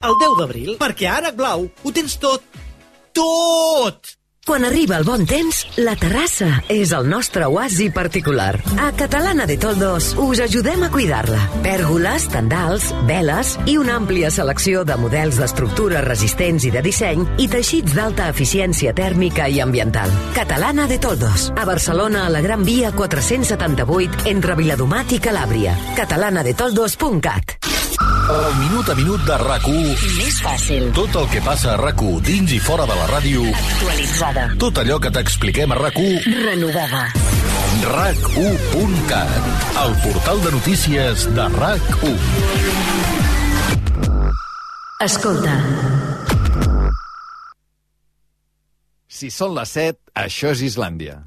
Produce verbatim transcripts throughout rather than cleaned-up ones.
el deu d'abril, perquè a Ànec Blau ho tens tot. Tot! Quan arriba el bon temps, la terrassa és el nostre oasi particular. A Catalana de Toldos us ajudem a cuidar-la. Pèrgoles, tendals, veles i una àmplia selecció de models d'estructures resistents i de disseny i teixits d'alta eficiència tèrmica i ambiental. Catalana de Toldos, a Barcelona, a la Gran Via quatre-cents setanta-vuit, entre Viladomat i Calàbria. catalana de toldos punt cat. El minut a minut de RAC u. Més fàcil. Tot el que passa a RAC u dins i fora de la ràdio. Actualitzada. Tot allò que t'expliquem a RAC u. Renovada. RAC u punt cat. El portal de notícies de RAC u. Escolta. Si són les set, això és Islàndia.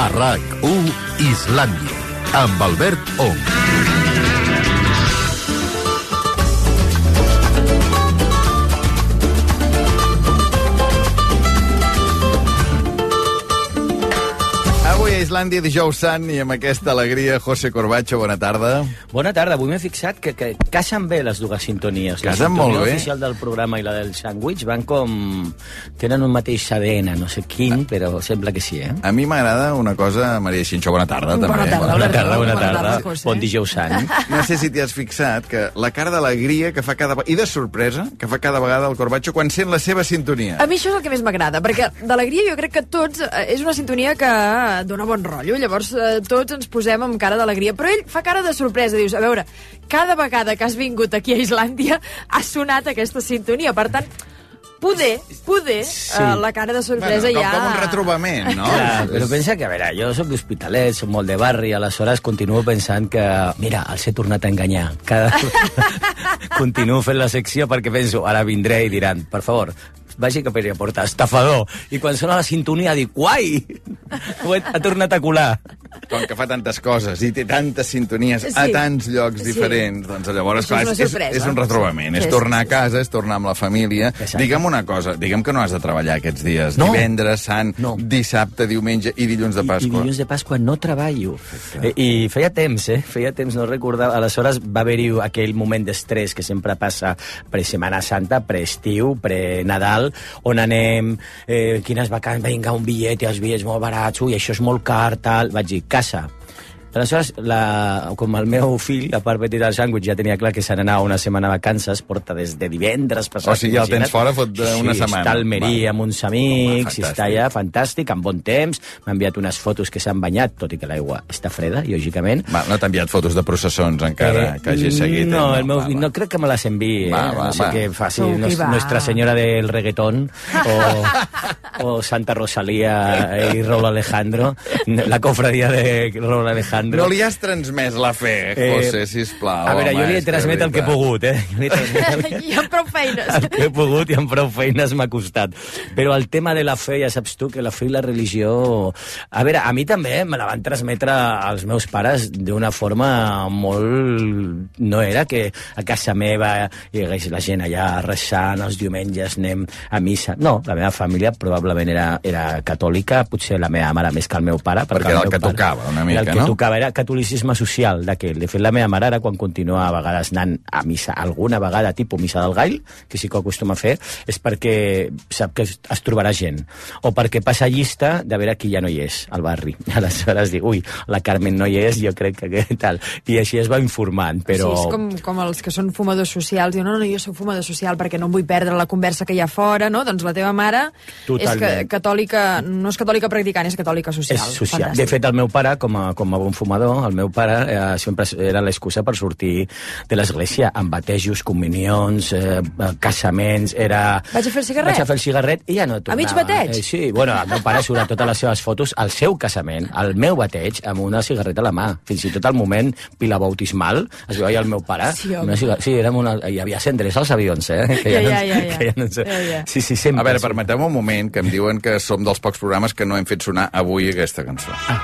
A RAC u, Islàndia, amb Albert Ong. Avui a Islàndia, dijous sant, i amb aquesta alegria, José Corbacho, bona tarda. Bona tarda. Avui m'he fixat que, que casen bé les dues sintonies. Casen la molt sintonia bé. oficial del programa i la del sàndwich van com... tenen un mateix A D N, no sé quin, però sembla que sí, eh? A mi m'agrada una cosa, Maria Xinxó, bona tarda, també. Bona tarda, Bona tarda, bona Bona tarda, tarda. José. Bon dijous sant. No sé si t'hi has fixat que la cara d'alegria que fa cada... i de sorpresa que fa cada vegada el Corbacho quan sent la seva sintonia. A mi això és el que més m'agrada, perquè d'alegria jo crec que tots... eh, és una sintonia que dona bon rotllo, llavors eh, tots ens posem amb cara d'alegria, però ell fa cara de sorpresa, dius, a veure, cada vegada que has vingut aquí a Islàndia ha sonat aquesta sintonia, per tant, poder, poder, Sí. eh, la cara de sorpresa com, ja... com un retrobament, no? Clar, però pensa que, a veure, jo soc d'Hospitalet, soc molt de barri, aleshores continuo pensant que, mira, els he tornat a enganyar. Cada... continuo fent la secció perquè penso, ara vindré i diran, per favor, vagi que podria portar estafador. I quan sona la sintonia dic, guai! Ho he, ha tornat a colar. Com que fa tantes coses i té tantes sintonies Sí. a tants llocs Sí. diferents, doncs llavors, Això clar, és una és, és, sorpresa. és un retrobament, Sí, és sí, tornar sí, a casa, és tornar amb la família. Exacte. Digue'm una cosa, digue'm que no has de treballar aquests dies. No. Divendres, sant, No. dissabte, diumenge i dilluns de I, I Pasqua. dilluns de Pasqua no treballo. I, I feia temps, eh? Feia temps, no recordava. Aleshores va haver-hi aquell moment d'estrès que sempre passa pre-Setmana Santa, pre-estiu, pre-Nadal, on anem, eh, quines vacances, vinga, un bitllet i els bitllets molt barats, ui, això és molt car, tal. Vaig dir, casa. Aleshores, la, com el meu fill, a part petit del sàndwich, ja tenia clar que se n'anava una setmana a vacances, porta des de divendres passat. O sigui, ja el tens fora fot de una sí, setmana. Està a Almeria amb uns amics, Home, i està allà, fantàstic, amb bon temps. M'ha enviat unes fotos que s'han banyat, tot i que l'aigua està freda, lògicament. Va, no t'ha enviat fotos de processons encara, eh, que hagi seguit. No, eh? el meu, va, va. no crec que me les enviï. Eh? Va, va, no sé va. què faci, Tu, qui nos, va? Nuestra Senyora del Reggaetón, o, o Santa Rosalía i Raúl Alejandro, la cofradia de Raúl Alejandro. No li has transmès la fe, José, sisplau. A veure, home, jo li he és que transmet el que he veritat. pogut, eh? Jo li he transmet el, I amb prou feines. el que he pogut i amb prou feines m'ha costat. Però el tema de la fe, ja saps tu, que la fe i la religió... A veure, a mi també me la van transmetre als meus pares d'una forma molt... No era que a casa meva hi hagués la gent allà resant, els diumenges anem a missa. No, la meva família probablement era, era catòlica, potser la meva mare més que el meu pare. Perquè era el meu que pare tocava, una mica, era el que no? tocava, era catolicisme social d'aquell. De fet, la meva mare ara, quan continua a vegades anant a missa, alguna vegada, tipus missa del gall, que sí que ho acostuma a fer, és perquè sap que es, es trobarà gent. O perquè passa llista de veure qui ja no hi és al barri. Aleshores dic, ui, la Carmen no hi és, jo crec que tal. I així es va informant, però... Sí, és com, com els que són fumadors socials. Diuen, no, no, jo soc fumador social perquè no em vull perdre la conversa que hi ha fora, no? Doncs la teva mare Totalment. és que, catòlica, no és catòlica practicant, és catòlica social. És social. Fantàstic. De fet, el meu pare, com a, com a bon fumador, el meu pare eh, sempre era l'excusa per sortir de l'església, amb batejos, comunions, eh, casaments, era... Vaig a fer el cigarret? Vaig a fer el cigarret i ja no tornava. A mig bateig? Eh, sí, bueno, el meu pare surt a totes les seves fotos al seu casament, al meu bateig, amb una cigarreta a la mà. Fins i tot al moment pilabautismal, es veia el meu pare. Sí, home. una cigarreta, sí, érem una, hi havia cendres als avions, eh? Que Ja, no, ja, ja, ja. Que ja no, sé. Ja, ja. Sí, sí, sempre. A veure, permeteu un moment, que em diuen que som dels pocs programes que no hem fet sonar avui aquesta cançó. Ah.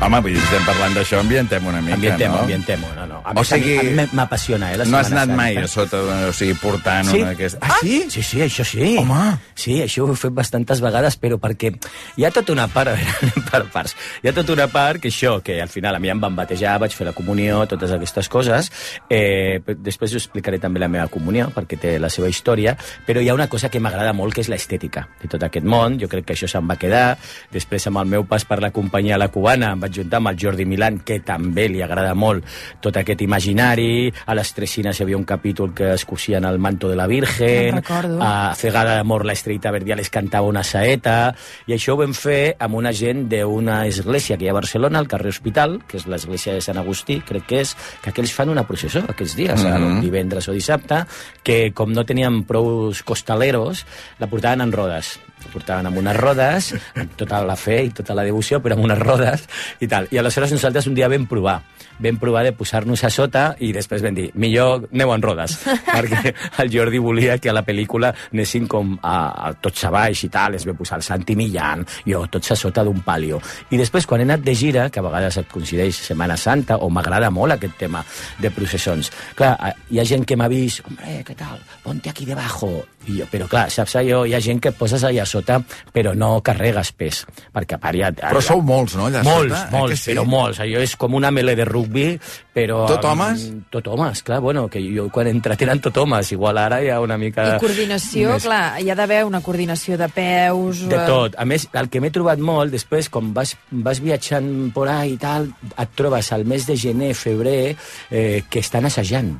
Home, vull dir, estem parlant d'això, ambientem una mica, Ambientem, no? ambientem, no, no. A O més, sigui, a mi a mi m'apassiona, eh, la No has Setmana anat mai Santa. a sota, o sigui, portant Sí. una d'aquestes... Ah, sí? Sí, sí, això sí. Home. Sí, això ho he fet bastantes vegades, però perquè hi ha tota una part, a veure, anem per parts, hi ha tota una part que això, que al final a mi em van batejar, vaig fer la comunió, totes aquestes coses, eh, després us explicaré també la meva comunió, perquè té la seva història, però hi ha una cosa que m'agrada molt, que és l'estètica de tot aquest món, jo crec que això se'n va quedar, després amb el meu pas per la companyia La Cubana em vaig juntar amb el Jordi Milán, que també li agrada molt tot aquest imaginari, a les Tresines hi havia un capítol que es cosien el manto de la Virgen, Me'n recordo. a Cegada d'amor la Estrellita Verdiales cantava una saeta, i això ho vam fer amb una gent d'una església que hi ha a Barcelona, al carrer Hospital, que és l'església de Sant Agustí, crec que és, que aquells fan una processó aquests dies, mm -hmm. divendres o dissabte, que com no tenien prou costaleros, la portaven en rodes. La portaven amb unes rodes, amb tota la fe i tota la devoció, però amb unes rodes i tal. I aleshores nosaltres un dia vam provar. Vam provar de posar-nos a sota i després vam dir, millor aneu en rodes, perquè el Jordi volia que a la pel·lícula anessin com a, a tots a baix i tal, es va posar el Santi Millán, jo, tots a sota d'un palio. I després, quan he anat de gira, que a vegades et coincideix Setmana Santa, o m'agrada molt aquest tema de processons, clar, hi ha gent que m'ha vist, hombre, què tal, ponte aquí debajo, i jo, però clar, saps allò, hi ha gent que et poses allà sota, però no carregues pes, perquè a part ja... Però sou molts, no, allà molts, sota? Molts, eh, sí? però molts. Allò és com una melé de rugbi, però... Tot homes? Um, tot homes, clar, bueno, que jo quan he entrat eren tot homes, igual ara hi ha una mica... I coordinació, més... clar, hi ha d'haver una coordinació de peus... De tot. A més, el que m'he trobat molt, després, com vas, vas viatjant por ahí i tal, et trobes al mes de gener, febrer, eh, que estan assajant,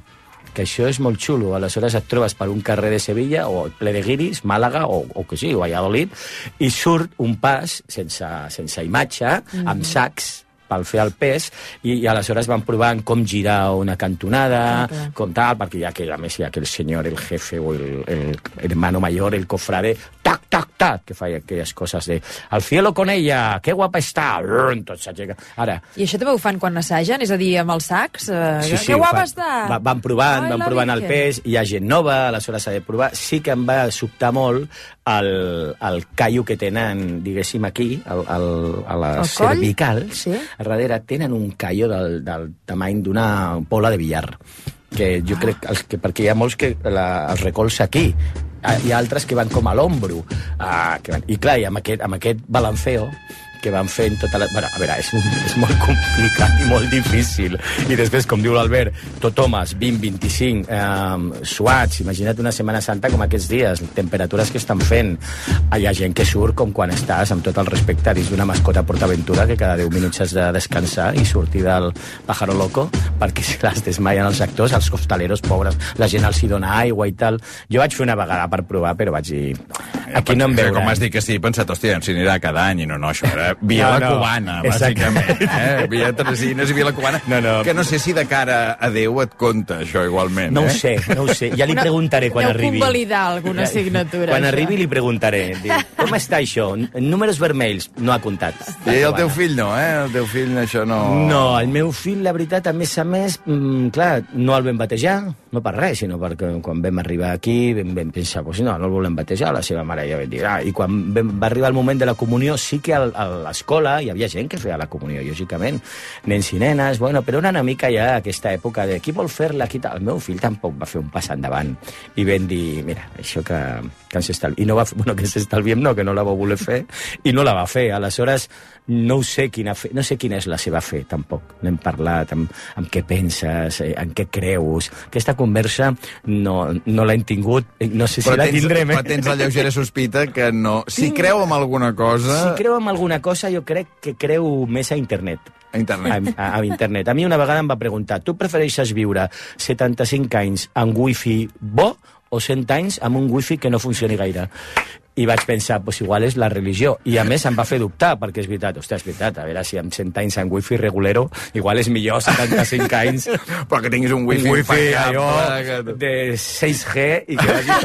que això és molt xulo. Aleshores et trobes per un carrer de Sevilla, o ple de guiris, Màlaga, o, o que sí, o Valladolid, i surt un pas sense, sense imatge, mm-hmm. amb sacs, per fer el pes, i, i aleshores van provant com girar una cantonada, okay. com tal, perquè ja que a més hi ha aquell senyor, el jefe o el, el hermano mayor, el cofrade, tac, tac, tac, que feia aquelles coses de al cielo con ella, que guapa està, tot s'aixeca. Ara... I això també ho fan quan assagen? És a dir, amb els sacs? Eh, Sí, sí, que guapa fan, està! Va, van provant, Ai, van la provant el Virgen. pes, hi ha gent nova, aleshores s'ha de provar. Sí que em va sobtar molt el, el callo que tenen, diguéssim, aquí, el, el, a les El coll? cervicals, Sí. a darrere tenen un callo del, del tamany d'una bola de billar, que jo crec els que, perquè hi ha molts que la, els recolza aquí, hi ha altres que van com a l'ombro, ah, que van, i clar, i amb aquest, amb aquest balanceo que van fent tota la... Bueno, a veure, és, és molt complicat i molt difícil. I després, com diu l'Albert, tot homes, vint, vint-i-cinc, eh, suats, imagina't una Setmana Santa com aquests dies, temperatures que estan fent. Hi ha gent que surt com quan estàs, amb tot el respecte, dins d'una mascota PortAventura, que cada deu minuts has de descansar i sortir del pájaro loco, perquè si les desmaien els actors, els costaleros pobres, la gent els hi dona aigua i tal. Jo vaig fer una vegada per provar, però vaig dir... Aquí no em veuran. Com has dit que sí, he pensat, hòstia, si anirà cada any, i no, no, això era Via no, la no. Cubana, bàsicament. Eh? Via Tresines i Via la Cubana. No, no. Que no sé si de cara a Déu et compta, això, igualment. No eh? ho sé, no ho sé. Ja li preguntaré quan Deu arribi. convalidar alguna assignatura. Quan això. arribi li preguntaré. Diu, com està això? Números vermells. No ha comptat. I el teu fill no, eh? El teu fill això no... No, el meu fill, la veritat, a més a més, mmm, clar, no el vam batejar, no per res, sinó perquè quan vam arribar aquí vam, vam pensar, pues no, no el volem batejar, la seva mare ja va dir, ah, i quan vam, va arribar el moment de la comunió, sí que al, a l'escola hi havia gent que feia la comunió, lògicament, nens i nenes, bueno, però era una mica ja aquesta època de qui vol fer-la, qui tal. El meu fill tampoc va fer un pas endavant, i vam dir, mira, això que, que ens estalviem, i no va fer, bueno, que ens estalviem no, que no la va voler fer, i no la va fer, aleshores no ho sé quina fe, no sé quina és la seva fe, tampoc. N'hem parlat, amb, amb què penses, eh, en què creus. Aquesta conversa no, no l'hem tingut, no sé si però la tens, tindrem. Eh? Però tens la lleugera sospita que no... Si creu en alguna cosa... Si creu en alguna cosa, jo crec que creu més a internet. A internet. A, a, a internet. A mi una vegada em va preguntar, tu prefereixes viure setanta-cinc anys amb wifi bo o cent anys amb un wifi que no funcioni gaire? I vaig pensar, pues igual és la religió. I a més em va fer dubtar, perquè és veritat, ostres, és veritat, a veure si amb cent anys amb wifi regulero, igual és millor setanta-cinc anys... Però que tinguis un wifi, un wifi allò que... de sis G i que, vagi,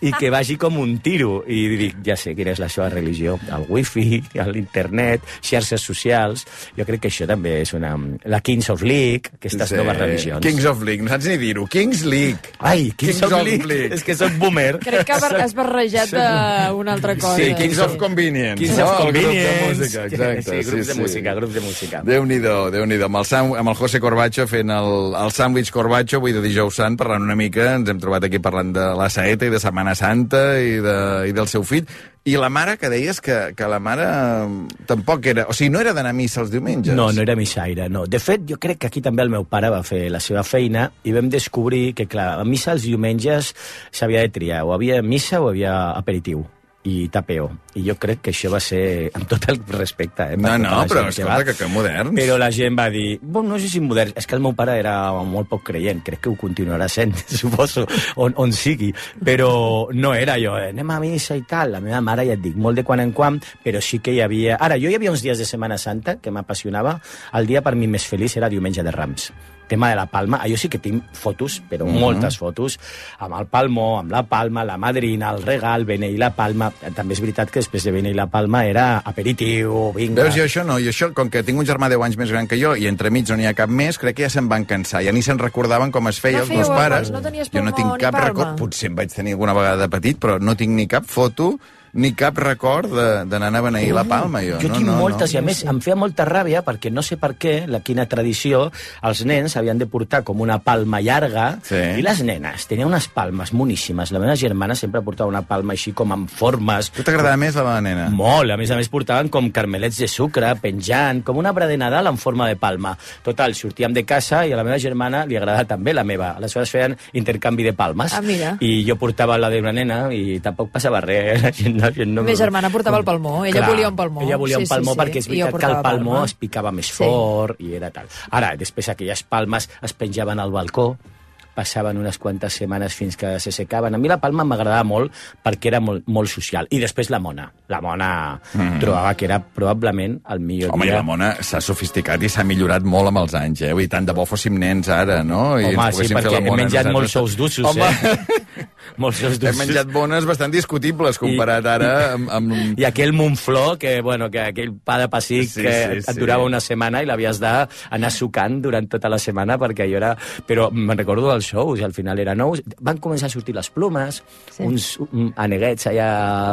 i que vagi com un tiro. I dic, ja sé quina és la seva religió. El wifi, l'internet, xarxes socials... Jo crec que això també és una... La Kings of League, aquestes Sí. noves religions. Kings of League, no saps ni dir-ho. Kings League. Ai, Kings, Kings of, of League. League. És que soc boomer. Crec que has barrejat de una altra cosa. Sí, Kings of Convenience. Kings no? of El Convenience. grup de música, exacte. Sí, grups sí, de sí. música, grups de música. Déu-n'hi-do, Déu-n'hi-do. Amb, el Sam, amb el José Corbacho fent el, el sàndwich Corbacho, avui de dijous sant, parlant una mica, ens hem trobat aquí parlant de la saeta i de Setmana Santa i, de, i del seu fill. I la mare, que deies que, que la mare tampoc era... O sigui, no era d'anar a missa els diumenges. No, no era missaire, no. De fet, jo crec que aquí també el meu pare va fer la seva feina i vam descobrir que, clar, a missa els diumenges s'havia de triar. O havia missa o havia aperitiu i tapeo. I jo crec que això va ser, amb tot el respecte, eh? No, no, però escolta, que, que moderns. Però la gent va dir, bon, no sé si moderns, és que el meu pare era molt poc creient, crec que ho continuarà sent, suposo, on, on sigui, però no era jo, eh? Anem a missa i tal. La meva mare, ja et dic, molt de quan en quan, però sí que hi havia... Ara, jo hi havia uns dies de Setmana Santa que m'apassionava. El dia per mi més feliç era Diumenge de Rams. Tema de la palma, jo sí que tinc fotos, però mm -hmm. moltes fotos, amb el palmó, amb la palma, la madrina, el regal, beneir la palma. També és veritat que després de beneir la palma era aperitiu, vinga... Veus, jo això no, jo això, com que tinc un germà deu anys més gran que jo, i entremig no n'hi ha cap més, crec que ja se'n van cansar, ja ni se'n recordaven com es feia No els meus fèieu, pares. no tenies Jo no palmó tinc ni cap palma. record, potser en vaig tenir alguna vegada de petit, però no tinc ni cap foto ni cap record d'anar a beneir la palma, jo. Jo no, tinc no, moltes, no. i a més em feia molta ràbia perquè no sé per què, la quina tradició, els nens havien de portar com una palma llarga, Sí. i les nenes tenien unes palmes moníssimes. La meva germana sempre portava una palma així com amb formes... Tu t'agradava més la meva nena? Molt, a més a més portaven com carmelets de sucre, penjant, com un arbre de Nadal en forma de palma. Total, sortíem de casa i a la meva germana li agradava també la meva. Aleshores feien intercanvi de palmes. Ah, mira. I jo portava la d'una nena i tampoc passava res. La gent, la gent no... La meva germana portava el palmó, ella Clar, volia un palmó. Ella volia Sí, un palmó sí, sí. perquè és I jo veritat que el portava palmó palma. es picava més Sí. fort i era tal. Ara, després aquelles palmes es penjaven al balcó, passaven unes quantes setmanes fins que se secaven. A mi la palma m'agradava molt perquè era molt, molt social. I després la mona. La mona mm. trobava que era probablement el millor Home, dia. i la mona s'ha sofisticat i s'ha millorat molt amb els anys, eh? Vull dir, tant de bo fóssim nens ara, no? I Home, ens sí, poguéssim fer perquè la he mona menjat nosaltres. molts ous dulços, Home. eh? molts ous Hem dulços. menjat bones bastant discutibles comparat ara amb... amb... I aquell Montflor, que, bueno, que aquell pa de pessic Sí, que sí, et sí. durava una setmana i l'havies d'anar sucant durant tota la setmana perquè allò era... Però me'n recordo dels shows, i al final eren nous. Van començar a sortir les plomes, Sí. uns um, aneguets allà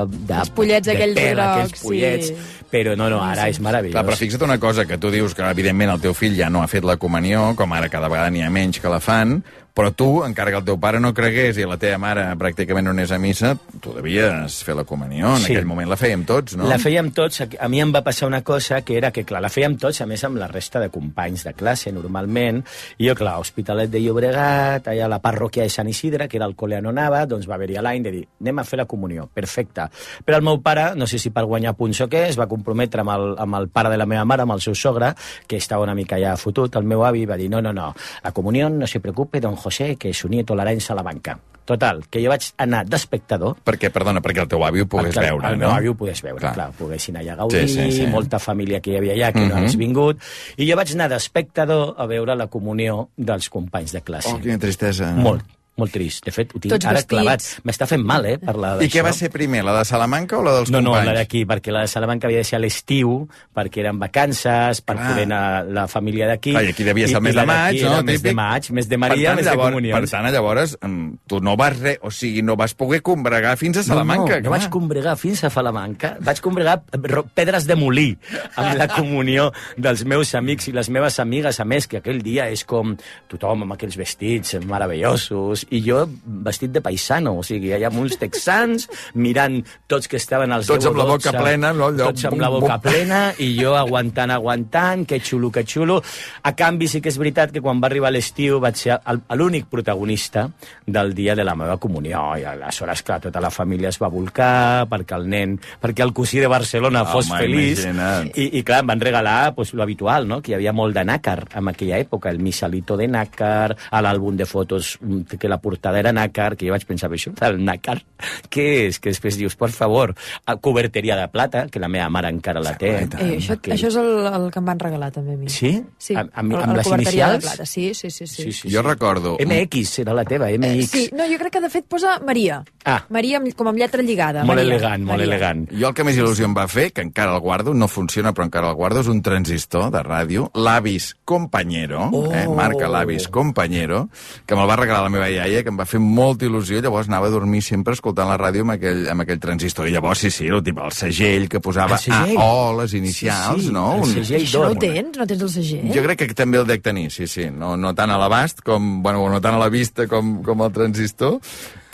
de, Els pollets de aquells pèl, grocs, aquells pollets, sí. però no, no, ara Sí. és meravellós. Clar, però fixa't una cosa, que tu dius que evidentment el teu fill ja no ha fet la comunió, com ara cada vegada n'hi ha menys que la fan, però tu, encara que el teu pare no cregués i la teva mare pràcticament no anés a missa, tu devies fer la comunió. En Sí. aquell moment la fèiem tots, no? La fèiem tots. A mi em va passar una cosa que era que, clar, la fèiem tots, a més, amb la resta de companys de classe, normalment. I jo, clar, Hospitalet de Llobregat, allà a la parròquia de Sant Isidre, que era el col·le on anava, doncs va haver-hi l'any de dir, anem a fer la comunió. Perfecte. Però el meu pare, no sé si per guanyar punts o què, es va comprometre amb el, amb el pare de la meva mare, amb el seu sogre, que estava una mica ja fotut, el meu avi, va dir, no, no, no, la comunió no se preocupe, don José, que su nieto l'hará en Salamanca. Total, que jo vaig anar d'espectador. Perquè, perdona, perquè el teu avi ho pogués Perquè veure, el no? meu avi ho pogués veure, clar, clar poguessin allà gaudir, Sí, sí, sí. molta família que hi havia allà que Mhm. no hagués vingut, i jo vaig anar d'espectador a veure la comunió dels companys de classe. Oh, quina tristesa. Molt, molt trist. De fet, ho tinc Tots ara vestits. clavat. M'està fent mal, eh, parlar I què d'això. va ser primer, la de Salamanca o la dels No, no, companys? la d'aquí, perquè la de Salamanca havia de ser a l'estiu, perquè eren vacances, per Clar. poder anar la família d'aquí. Clar, i aquí devia ser el mes de la maig, d'aquí no? era el mes de Típic. maig, mes de Maria, per tant, mes de llavors, comunions. Per tant, llavors, em, tu no vas re, o sigui, no vas poder combregar fins a Salamanca. No, no, no clar. vaig combregar fins a Salamanca. Vaig combregar ro- pedres de molí amb la comunió dels meus amics i les meves amigues. A més, que aquell dia és com tothom amb aquells vestits meravellosos i jo vestit de paisano, o sigui, allà amb uns texans mirant tots que estaven als Tots deu o amb la boca dotze, plena, no? Allò, Tots amb bum, la boca bum. plena i jo aguantant, aguantant, que xulo, que xulo. A canvi, sí que és veritat que quan va arribar l'estiu vaig ser el- l'únic protagonista del dia de la meva comunió. I aleshores, clar, tota la família es va volcar perquè el nen, perquè el cosí de Barcelona fos Home, feliç. imagina't. I, I, clar, em van regalar pues, lo habitual, no? Que hi havia molt de nàcar en aquella època, el missalito de nàcar, a l'àlbum de fotos mm, que la portada era nàcar, que jo vaig pensar, això del nàcar, què és? Que després dius, per favor, a coberteria de plata, que la meva mare encara la té. Exacte. Eh, això, Que- això és el, el que em van regalar també a mi. Sí? Sí, Amb, amb, el- amb el les coberteria de inicials? plata. Sí, sí, sí. sí. Sí, sí, Jo sí. recordo... M X era la teva, M X. Eh, sí, no, jo crec que de fet posa Maria. Ah. Maria amb, com amb lletra lligada. Molt Maria. elegant, molt Maria. elegant. Jo el que més il·lusió em va fer, que encara el guardo, no funciona però encara el guardo, és un transistor de ràdio, l'Avis Compañero, Oh. eh, marca l'Avis Compañero, que me'l va regalar la meva iaia iaia, que em va fer molta il·lusió, llavors anava a dormir sempre escoltant la ràdio amb aquell, amb aquell transistor. I llavors, sí, sí, el, tipus, el segell que posava A O, les inicials, sí, sí, no? El segell Això no ho tens? No tens el segell? Jo crec que també el dec tenir, sí, sí. No, no tant a l'abast, com, bueno, no tant a la vista com, com el transistor,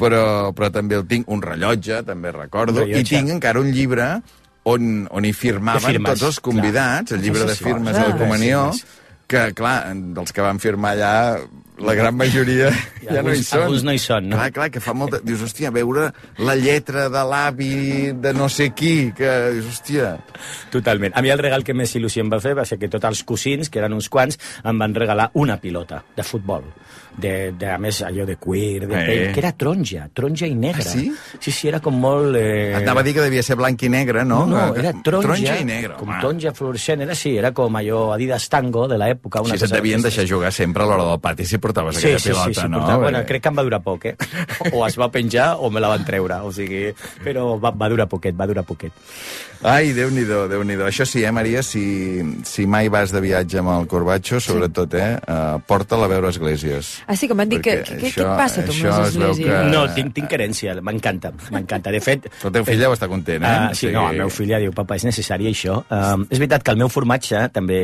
però, però també el tinc. Un rellotge, també recordo. Rellotge. I tinc encara un llibre on, on hi firmaven tots els convidats, clar. El llibre de firmes de la comunió, que, clar, dels que van firmar allà, la gran majoria ja alguns, no hi són. Alguns no hi són, no? Clar, clar, que fa molta... Dius, hòstia, veure la lletra de l'avi de no sé qui, que... Dius, hòstia... Totalment. A mi el regal que més il·lusió em va fer va ser que tots els cosins, que eren uns quants, em van regalar una pilota de futbol. De, de, a més, allò de cuir, de pell, eh. que era taronja, taronja i negra. Ah, sí? Sí, sí, era com molt... Eh... Et anava a dir que devia ser blanc i negre, no? No, no, era taronja, taronja i negre, com taronja fluorescent, era sí, era com allò Adidas Tango de l'època. Sí, se't devien deixar jugar sempre a l'hora del pati si portaves sí, aquella sí, pilota, sí, sí, no? Portava, bueno, crec que em va durar poc, eh? O es va penjar o me la van treure, o sigui... Però va, va durar poquet, va durar poquet. Ai, Déu-n'hi-do, Déu-n'hi-do. Això sí, eh, Maria, si, si mai vas de viatge amb el Corbacho, sobretot, eh, uh, porta-la a veure esglésies. Ah, sí, que m'han dit que... Què, això, què et passa, tu, amb les esglésies? Que... No, tinc, tinc herència, m'encanta, m'encanta. De fet... Però el teu fill deu estar content, eh? Uh, sí, sí, no, el meu fill ja diu, papa, és necessari això. Uh, és veritat que el meu formatge també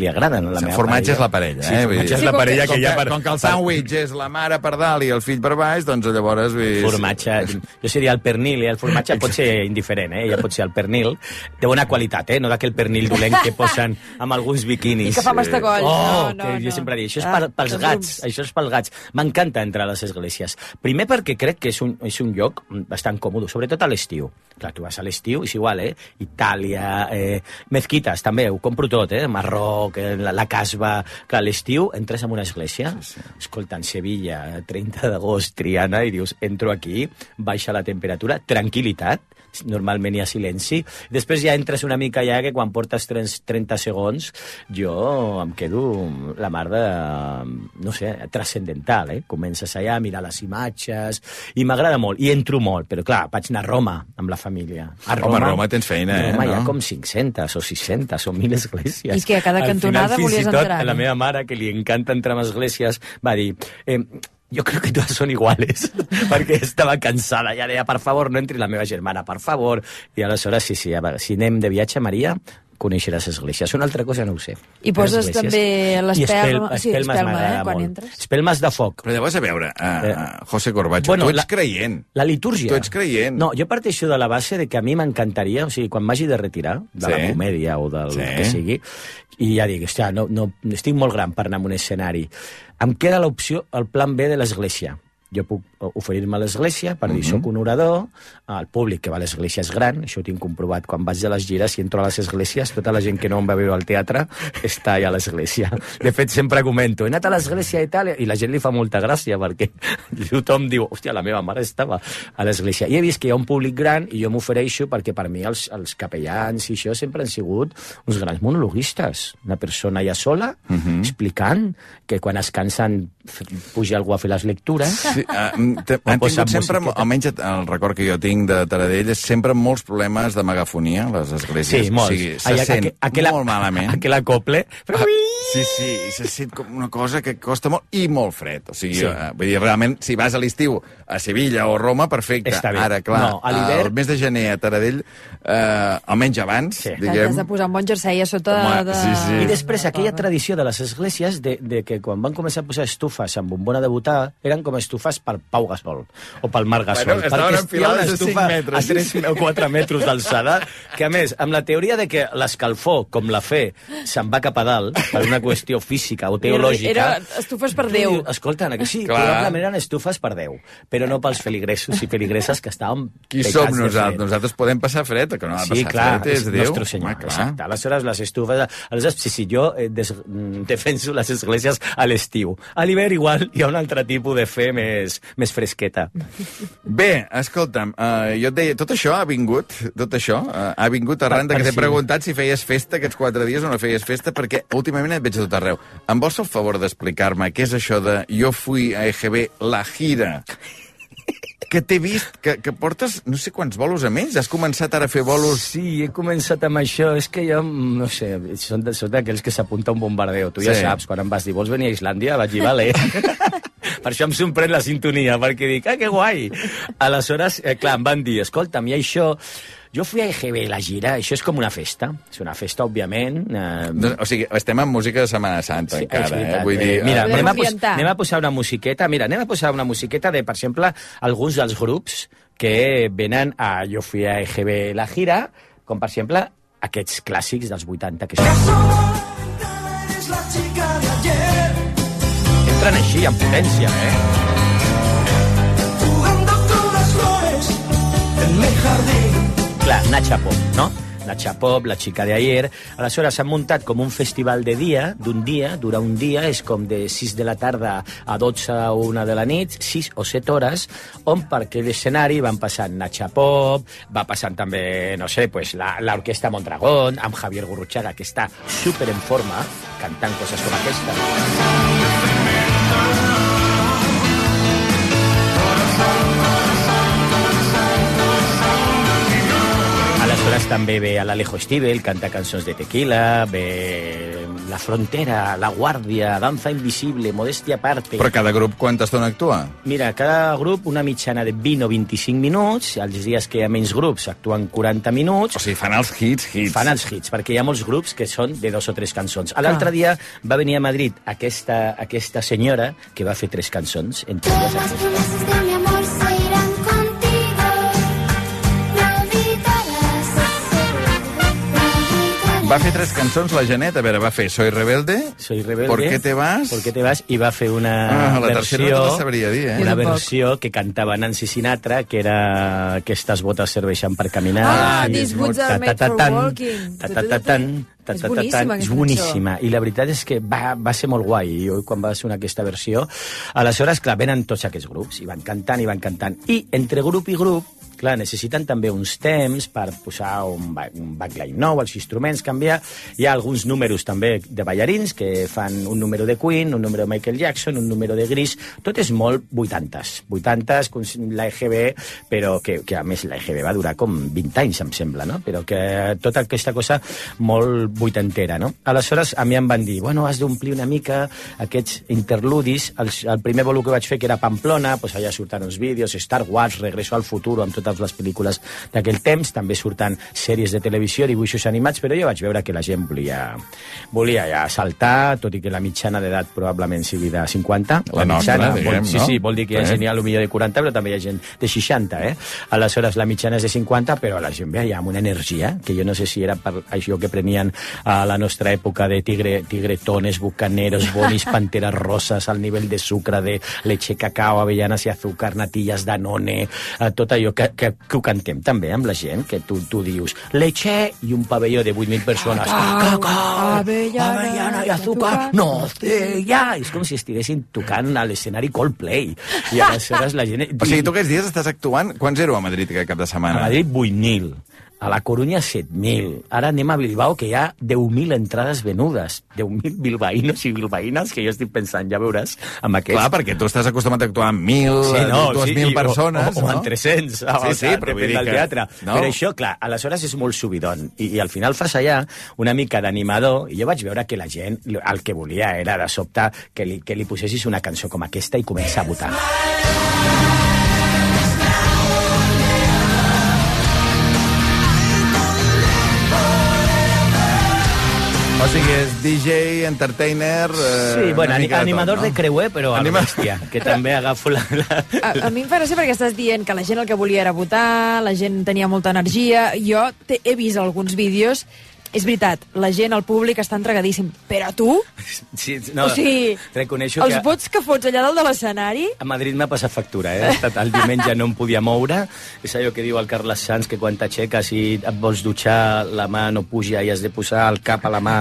li agrada. No? La el formatge és la parella, eh? Sí, el formatge és la parella que, que ja... Per, Per... Com que el sàndwich és la mare per dalt i el fill per baix, doncs llavors... Vull... Formatge... Jo seria el pernil, i el formatge pot ser indiferent, eh? Ja pot ser el pernil de bona qualitat, eh? No d'aquell pernil dolent que posen amb alguns biquinis. I que fa mastecolls. Oh, no, no, que jo no. sempre dic, això és per, pels gats, això és pels gats. M'encanta entrar a les esglésies. Primer perquè crec que és un, és un lloc bastant còmode, sobretot a l'estiu. Clar, tu vas a l'estiu, és igual, eh? Itàlia, eh, mezquites, també, ho compro tot, eh? Marroc, eh? la, la casba... Clar, a l'estiu entres en una església, sí, sí. Escolta, en Sevilla, trenta d'agost, Triana, i dius, entro aquí, baixa la temperatura, tranquil·litat, normalment hi ha silenci. Després ja entres una mica ja que quan portes trenta segons jo em quedo la mar de, no sé, transcendental, eh? Comences allà a mirar les imatges i m'agrada molt, i entro molt, però clar, vaig anar a Roma amb la família. A Roma, Home, a Roma tens feina, eh? A Roma no? hi ha com cinc-centes o sis-centes o mil esglésies. I que a cada cantonada Al final, volies fins i tot, entrar. la meva mare, que li encanta entrar en esglésies, va dir... Eh, jo crec que totes són iguales, perquè estava cansada, ja deia, per favor, no entri la meva germana, per favor, i aleshores, sí, sí, si anem de viatge, Maria, conèixeràs esglésies. Una altra cosa no ho sé. I poses també l'espelma, espel, sí, espelma, eh, quan molt. entres. Espelmes de foc. Però llavors, a veure, uh, uh, José Corbacho, bueno, tu ets la, creient. La litúrgia. Tu ets creient. No, jo parteixo de la base de que a mi m'encantaria, o sigui, quan m'hagi de retirar de sí. la comèdia o del sí. que sigui, i ja dic, hòstia, no, no, estic molt gran per anar a un escenari. Em queda l'opció, el plan B de l'església. Jo puc oferir-me a l'església per dir, uh-huh. soc un orador, el públic que va a l'església és gran, això ho tinc comprovat quan vaig a les gires i entro a les esglésies, tota la gent que no em va veure al teatre està allà a l'església. De fet, sempre comento, he anat a l'església i tal, i la gent li fa molta gràcia perquè tothom diu, hòstia, la meva mare estava a l'església. I he vist que hi ha un públic gran i jo m'ofereixo perquè per mi els, els capellans i això sempre han sigut uns grans monologuistes. Una persona ja sola, uh-huh. explicant que quan es cansen puja algú a fer les lectures. Sí, uh, han tingut sempre, almenys el record que jo tinc de Taradell, és sempre molts problemes de megafonia, les esglésies. Sí, molts. O sigui, se Ai, sent aquella, molt malament. Aquell acople. Però... Sí, sí, i se sent com una cosa que costa molt i molt fred. O sigui, sí. uh, vull dir, realment, si vas a l'estiu a Sevilla o Roma, perfecte. Ara, clar, no, el mes de gener a Taradell, uh, almenys abans, sí. diguem... Has de posar un bon jersei a sota Home, de... Sí, sí. I després, aquella tradició de les esglésies de, de que quan van començar a posar estufes amb bombona de butà, eren com estufes per Pau Gasol o pel Marc Gasol. Bueno, estaven enfilades a cinc metres. A tres o quatre metres d'alçada, que a més, amb la teoria de que l'escalfor, com la fe, se'n va cap a dalt, per una qüestió física o teològica... Era estufes per Déu. Escolta, que sí, Clar. probablement eren estufes per Déu, però no pels feligresos i feligreses que estàvem Qui som nosaltres? Nosaltres podem passar fred, que no ha de sí, passar clar, fred, és, és Déu. Nostre Senyor, Home, exacte. Aleshores, les estufes... Aleshores, sí, sí, jo eh, des, defenso les esglésies a l'estiu. A l'hivern, igual, hi ha un altre tipus de fe més, més fresqueta. Bé, escolta'm, uh, jo et deia, tot això ha vingut, tot això, uh, ha vingut arran de que t'he sí. preguntat si feies festa aquests quatre dies o no feies festa, perquè últimament et veig a tot arreu. Em vols fer el favor d'explicar-me què és això de jo fui a E G B la gira? Que t'he vist, que, que portes no sé quants bolos a més. Has començat ara a fer bolos... Sí, he començat amb això. És que jo, no sé, són d'aquells que s'apunta un bombardeo. Tu sí. ja saps, quan em vas dir, vols venir a Islàndia? Vaig dir, vale. Per això em sorprèn la sintonia, perquè dic, ah, que guai. Aleshores, eh, clar, em van dir, escolta'm, i això... Jo fui a E G B, la gira, això és com una festa. És una festa, òbviament. Eh... O sigui, estem en música de Setmana Santa, sí, encara, eh? Vull dir... Mira, Podem anem a, pos orientar. anem a posar una musiqueta, mira, anem a posar una musiqueta de, per exemple, alguns dels grups que venen a... Jo fui a E G B la gira, com per exemple aquests clàssics dels vuitanta, que són... Entren així, amb potència, eh? Clar, Nacha Pop, no? Nacha Pop, la chica de ayer. Aleshores s'han muntat com un festival de dia, d'un dia, dura un dia, és com de sis de la tarda a dotze o una de la nit, sis o set hores, on per aquell escenari van passant Nacha Pop, va passant també, no sé, pues, l'Orquestra Mondragón, amb Javier Gurruchaga, que està super en forma, cantant coses com aquesta. Aleshores també ve a l'Alejo Stivel, canta cançons de tequila, ve La Frontera, La Guàrdia, Danza Invisible, Modestia Aparte... Però cada grup quanta estona actua? Mira, cada grup una mitjana de vint o vint-i-cinc minuts, els dies que hi ha menys grups actuen quaranta minuts... O sigui, fan els hits, hits. Fan els hits, perquè hi ha molts grups que són de dos o tres cançons. L'altre dia va venir a Madrid aquesta, aquesta senyora que va fer tres cançons, entre elles aquesta. Va fer tres cançons, la Janet. A veure, va fer Soy Rebelde, Soy Rebelde, ¿Por qué te vas? ¿Por qué te vas? I va fer una ah, la versió... tercera no te la sabria dir, eh? Una versió que cantava Nancy Sinatra, que era Aquestes botes serveixen per caminar. Ah, i These boots are made for walking. És boníssima, és boníssima. I la veritat és que va, va ser molt guai, jo quan va sonar aquesta versió. Aleshores, clar, venen tots aquests grups, i van cantant, i van cantant. I entre grup i grup, clar, necessiten també uns temps per posar un, un backline nou, els instruments, canviar. Hi ha alguns números també de ballarins que fan un número de Queen, un número de Michael Jackson, un número de Gris. Tot és molt vuitantes. Vuitantes, la E G B, però que, que a més la E G B va durar com vint anys, em sembla, no? Però que tota aquesta cosa molt vuitantera, no? Aleshores, a mi em van dir, bueno, has d'omplir una mica aquests interludis. El, el primer bolo que vaig fer, que era Pamplona, doncs allà surten uns vídeos, Star Wars, Regreso al futuro, amb totes les pel·lícules d'aquell temps, també surten sèries de televisió, dibuixos animats, però jo vaig veure que la gent volia, volia ja saltar, tot i que la mitjana d'edat probablement sigui de cinquanta. La, la nostra, mitjana, diguem, vol, sí, no? Sí, vol dir que hi ha gent ja potser de quaranta, però també hi ha gent de seixanta, eh? Aleshores, la mitjana és de cinquanta, però la gent ve ja amb una energia, que jo no sé si era per això que prenien a la nostra època de tigre, tigretones, bucaneros, bonis, panteres roses, al nivell de sucre, de leche, cacao, avellanes i azúcar, natillas, danone, eh, tot allò que, que, que ho cantem també amb la gent, que tu, tu dius leche i un pavelló de vuit mil persones, cacao, cacao avellana, avellana i azúcar, no sé, ja, és com si estiguessin tocant a l'escenari Coldplay, i aleshores la gent... O sigui, tu aquests dies estàs actuant... Quants éreu a Madrid aquest cap de setmana? A Madrid vuit mil. A la Corunya, set mil. Ara anem a Bilbao, que hi ha deu mil entrades venudes. deu mil bilbaïnos i bilbaïnes, que jo estic pensant, ja veuràs, amb aquests... Clar, perquè tu estàs acostumat a actuar amb mil, sí, no, dues sí, mil persones, o, o, o amb tres-cents, o, sí, sí, però depèn del que... teatre. No. Però això, clar, aleshores és molt subidon. I, i al final fas allà una mica d'animador, i jo vaig veure que la gent el que volia era, de sobte, que li, que li posessis una cançó com aquesta i començar a votar. O sigui, és D J, entertainer... Eh, sí, bueno, animador de, tot, no? de creuer, però a Anima... bèstia, que també agafo la... la... A, a mi em fa gràcia perquè estàs dient que la gent el que volia era votar, la gent tenia molta energia. Jo te, he vist alguns vídeos. És veritat, la gent, el públic està entregadíssim, però tu... Sí, no, o sigui, reconeixo els que... vots que fots allà dalt de l'escenari... A Madrid m'ha passat factura, eh? Estat, el diumenge no em podia moure. És allò que diu el Carles Sanz, que quan t'aixeques i et vols dutxar, la mà no puja i has de posar el cap a la mà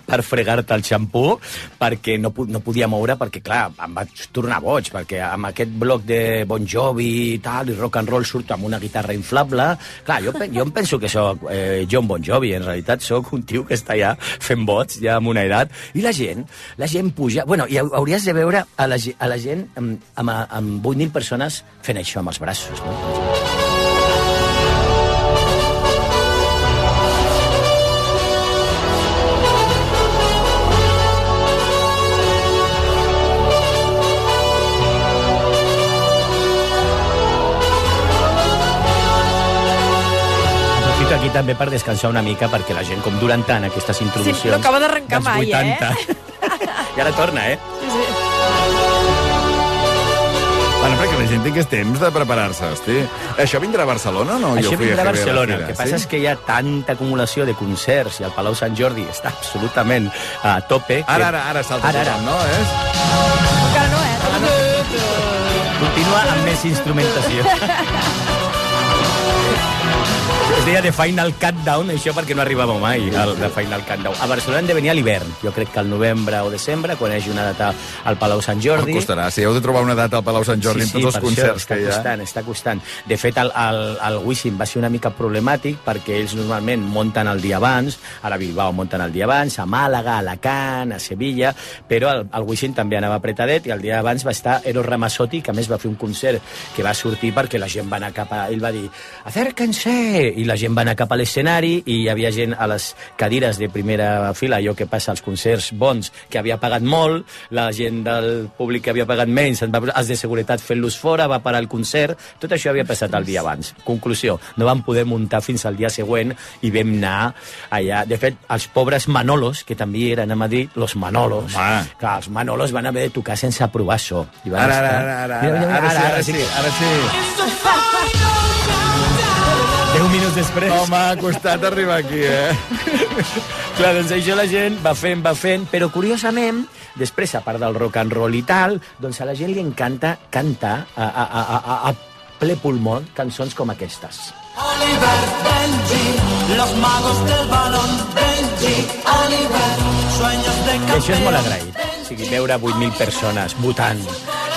per fregar-te el xampú, perquè no, no podia moure, perquè, clar, em vaig tornar boig, perquè amb aquest bloc de Bon Jovi i tal, i rock and roll surto amb una guitarra inflable. Clar, jo, jo em penso que soc eh, John Bon Jovi, en realitat sóc un tio que està ja fent vots, ja amb una edat, i la gent, la gent puja... Bueno, i hauries de veure a la, a la gent amb, amb, amb vuit mil persones fent això amb els braços, no? també per descansar una mica, perquè la gent, com duren tant aquestes introduccions... Sí, no acaba d'arrencar dels mai, vuitanta. eh? I ara torna, eh? Sí, sí. Bueno, perquè la gent tingués temps de preparar-se, hosti. Això vindrà a Barcelona o no? Això Jo fui vindrà a G B Barcelona. la El que fira, passa és que hi ha tanta acumulació de concerts i el Palau Sant Jordi està absolutament a tope. Ara, ara, ara salta Ara, ara. tothom, no? És... Encara no, eh? Ah, no. Continua amb més instrumentació. Es deia The Final Countdown, això perquè no arribava mai, el The Final Countdown. A Barcelona hem de venir a l'hivern. Jo crec que al novembre o desembre, quan hi hagi una data al Palau Sant Jordi... Em costarà, si heu de trobar una data al Palau Sant Jordi sí, sí, amb tots els concerts això, que hi ha. Està costant, està costant. De fet, el, el, el Wisin va ser una mica problemàtic perquè ells normalment munten el dia abans, ara a Bilbao munten el dia abans, a Màlaga, a Alacant, a Sevilla, però el, el Wisin també anava apretadet i el dia abans va estar Eros Ramazzotti, que a més va fer un concert que va sortir perquè la gent va anar cap a... Ell va dir, acérquense! I la gent va anar cap a l'escenari i hi havia gent a les cadires de primera fila, allò que passa als concerts bons, que havia pagat molt, la gent del públic que havia pagat menys, els de seguretat fent-los fora, va parar el concert, tot això havia passat el dia abans. Conclusió, no vam poder muntar fins al dia següent i vam anar allà. De fet, els pobres Manolos, que també eren a Madrid, los Manolos, Home. clar, els Manolos van haver de tocar sense aprovar so. I van Ara, ara, estar... ara, ara, Mira, mira, ara, mira, ara, sí, ara sí. Deu minuts després. Home, ha costat arribar aquí, eh? Clar, doncs això la gent va fent, va fent, però curiosament, després, a part del rock and roll i tal, doncs a la gent li encanta cantar a, a, a, a, a ple pulmó cançons com aquestes. Oliver, Benji, los magos del balón, Benji, Oliver, sueños de campeón. I això és molt agraït. O sigui, veure vuit mil persones votant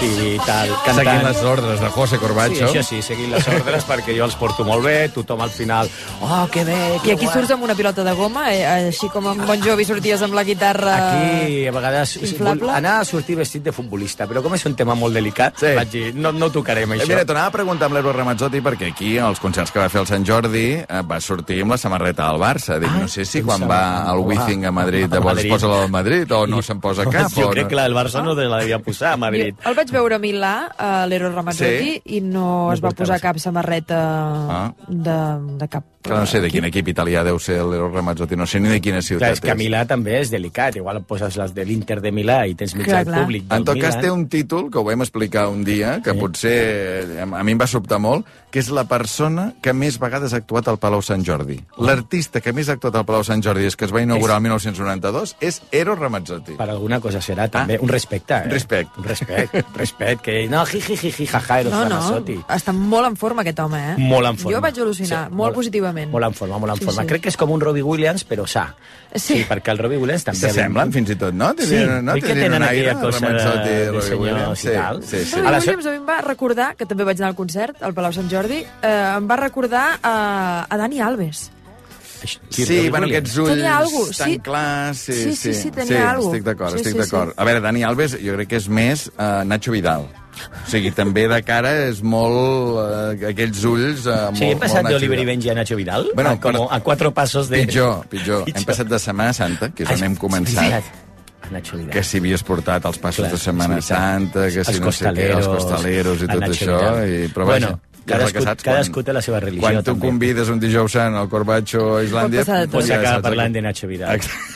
i tal, cantant. Seguint les ordres de José Corbacho. Sí, això sí, seguint les ordres, perquè jo els porto molt bé, tothom al final, oh, que bé, que I aquí surts amb una pilota de goma, eh, així com en Bon Jovi sorties amb la guitarra... Aquí, a vegades, inflable. anar a sortir vestit de futbolista, però com és un tema molt delicat, Sí. vaig dir, no, no tocarem Eh, això. mira, t'anava a preguntar amb l'Eros Ramazzotti perquè aquí, als concerts que va fer el Sant Jordi, eh, va sortir amb la samarreta del Barça. Dic, Ah, no sé si em quan sembla. va al Wizzing a Madrid, A llavors Madrid. es posa la del Madrid o no se'n posa cap. Jo o crec no? que la del Barça no te la devia posar a Madrid. Jo el vaig veure a Milà, a l'Eros Ramazzotti, Sí? i no, No es va portava posar això. cap samarreta Ah. de, de cap... Que no sé de quin equip italià deu ser l'Eros Ramazzotti, no sé ni de quina Clar, ciutat és que a Milà també és delicat. Igual poses les de l'Inter de Milà i tens mig Clar, al clar. públic del En tot cas, Milan. té un títol que ho vam explicar un dia, que Sí. potser a mi em va sobtar molt, que és la persona que més vegades ha actuat al Palau Sant Jordi. L'artista que més ha actuat al Palau Sant Jordi, és que es va inaugurar el mil nou-cents noranta-dos, és Eros Ramazzotti. Per alguna cosa serà, també. Ah. Un respecte, eh? Respect. Un respecte, respecte. Que no, jiji, jiji, jaja, Eros No, no, Ramazzotti. està molt en forma aquest home, eh? Molt en forma. Jo vaig al·lucinar, molt, positivament. Molt en forma, molt en Sí, forma. sí. Crec que és com un Robbie Williams, però sa. Sí. perquè el Robbie Williams també... S'assemblen fins i tot, no? Sí, Tenen- no? oi que Tenen tenen un aire, aquella cosa de, Ramazzotti, de Robbie senyors Williams. i tal. Sí, sí, sí. Robbie A la so- Williams a mi em va recordar, que també vaig anar al concert, al Palau Sant Jordi, eh, em va recordar a, a Dani Alves. Sí, Robbie bueno, Williams. aquests ulls Tenia algo, tan sí. clars... Sí, Sí, sí, sí, tenia algo. estic d'acord, Sí, estic sí, d'acord. sí. A veure, Dani Alves jo crec que és més uh, Nacho Vidal. O sigui, també de cara és molt... Uh, aquells ulls... Uh, Sí, he molt, passat molt Nacho d'Oliver i Vidal. Benji a Nacho Vidal, Bueno, a, com, però- a quatre passos de... Pitjor, pitjor. Hem passat de Setmana Santa, que és on hem començat, A Nacho Vidal. que si havies portat els passos Clar, de Setmana és veritat. Santa, que si Els no sé què, els costaleros, costaleros i el tot Nacho això. Vidal. I, però Bueno, vaja, ja és el cadascú- que saps, cadascú té la seva religió, Quan tu també. convides un dijous sant al Corbacho a Islàndia... Pot passar de tot. Pots ja acabar saps parlant el que- de Nacho Vidal. Exacte.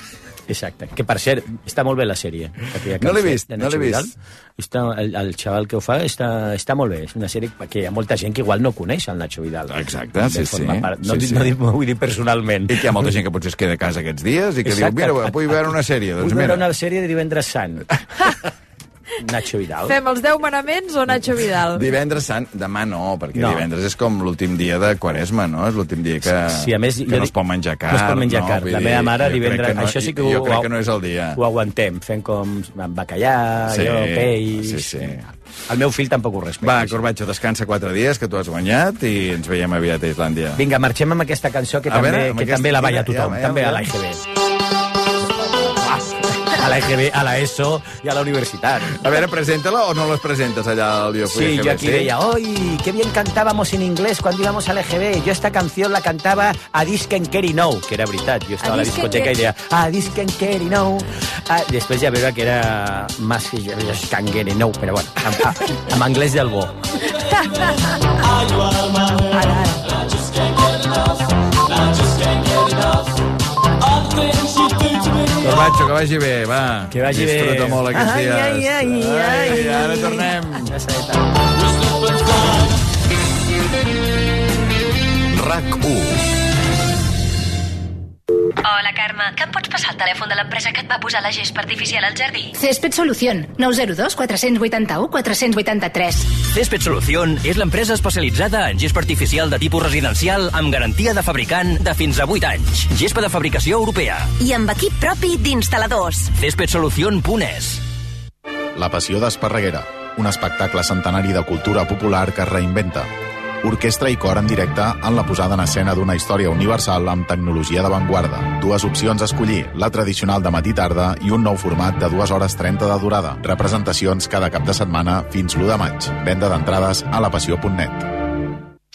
Exacte. Que, per cert, està molt bé la sèrie. aquella No l'he cançó vist, de no Nacho l'he Vidal. vist. Està, el, el xaval que ho fa està, està molt bé. És una sèrie que hi ha molta gent que igual no coneix el Nacho Vidal. Exacte, sí, De forma sí. Part. No, Sí, sí, sí. no, no vull dir personalment. I que hi ha molta gent que potser es queda a casa aquests dies i que Exacte. diu, mira, vull veure una sèrie. Doncs Vull veure mira, una sèrie de Divendres Sant. Nacho Vidal. Fem els deu manaments o Nacho Vidal? divendres sant, demà no, perquè No. divendres és com l'últim dia de Quaresma, no? És l'últim dia que, Sí, a més, que jo no dic- es pot menjar carn. No es pot menjar no? carn. Vull La dir, meva mare jo crec divendres... que no, això sí que jo ho, crec que no és el dia. Ho aguantem, fent com amb bacallà, Sí, allò, peix... sí, sí. El meu fill tampoc ho respecta. Va, això. Corbacho, descansa quatre dies, que tu has guanyat, i ens veiem aviat a Islàndia. Vinga, marxem amb aquesta cançó que, A també, veure, amb que aquesta- també la balla ja, tothom, ja, ja, també ja. a l'A I G B. A l'A I G B, a la ESO i a la universitat. A veure, presenta-la o no les presentes allà al Yo Fui Sí, a G B, yo aquí veía, ¡ay, qué bien cantábamos en inglés cuando íbamos al E G B! Yo esta canción la cantaba a Disken Kerry No, que era veritat. Jo estava a, A la Disc and discoteca i Kerry. deia, a Disken Kerry No. Ah, després ja veure que era más que Disken Kerry No, però bueno, en, en anglès del bo. Ara, ara. Corbacho, que vagi bé, va. Que vagi bé. Disfruta molt aquests Ai, dies. ai, ai, ai. ai. Ara tornem. RAC u. Hola, Carme. Que em pots passar el telèfon de l'empresa que et va posar la gespa artificial al jardí? Césped Solución, nou zero dos quatre vuit u quatre vuit tres. Césped Solución és l'empresa especialitzada en gespa artificial de tipus residencial amb garantia de fabricant de fins a vuit anys. Gespa de fabricació europea. I amb equip propi d'instal·ladors. césped solución punt es. La Passió d'Esparreguera, un espectacle centenari de cultura popular que es reinventa. Orquestra i cor en directe en la posada en escena d'una història universal amb tecnologia d'avantguarda. Dues opcions a escollir, la tradicional de matí-tarda i un nou format de dues hores trenta de durada. Representacions cada cap de setmana fins l'u de maig. Venda d'entrades a la passió punt net.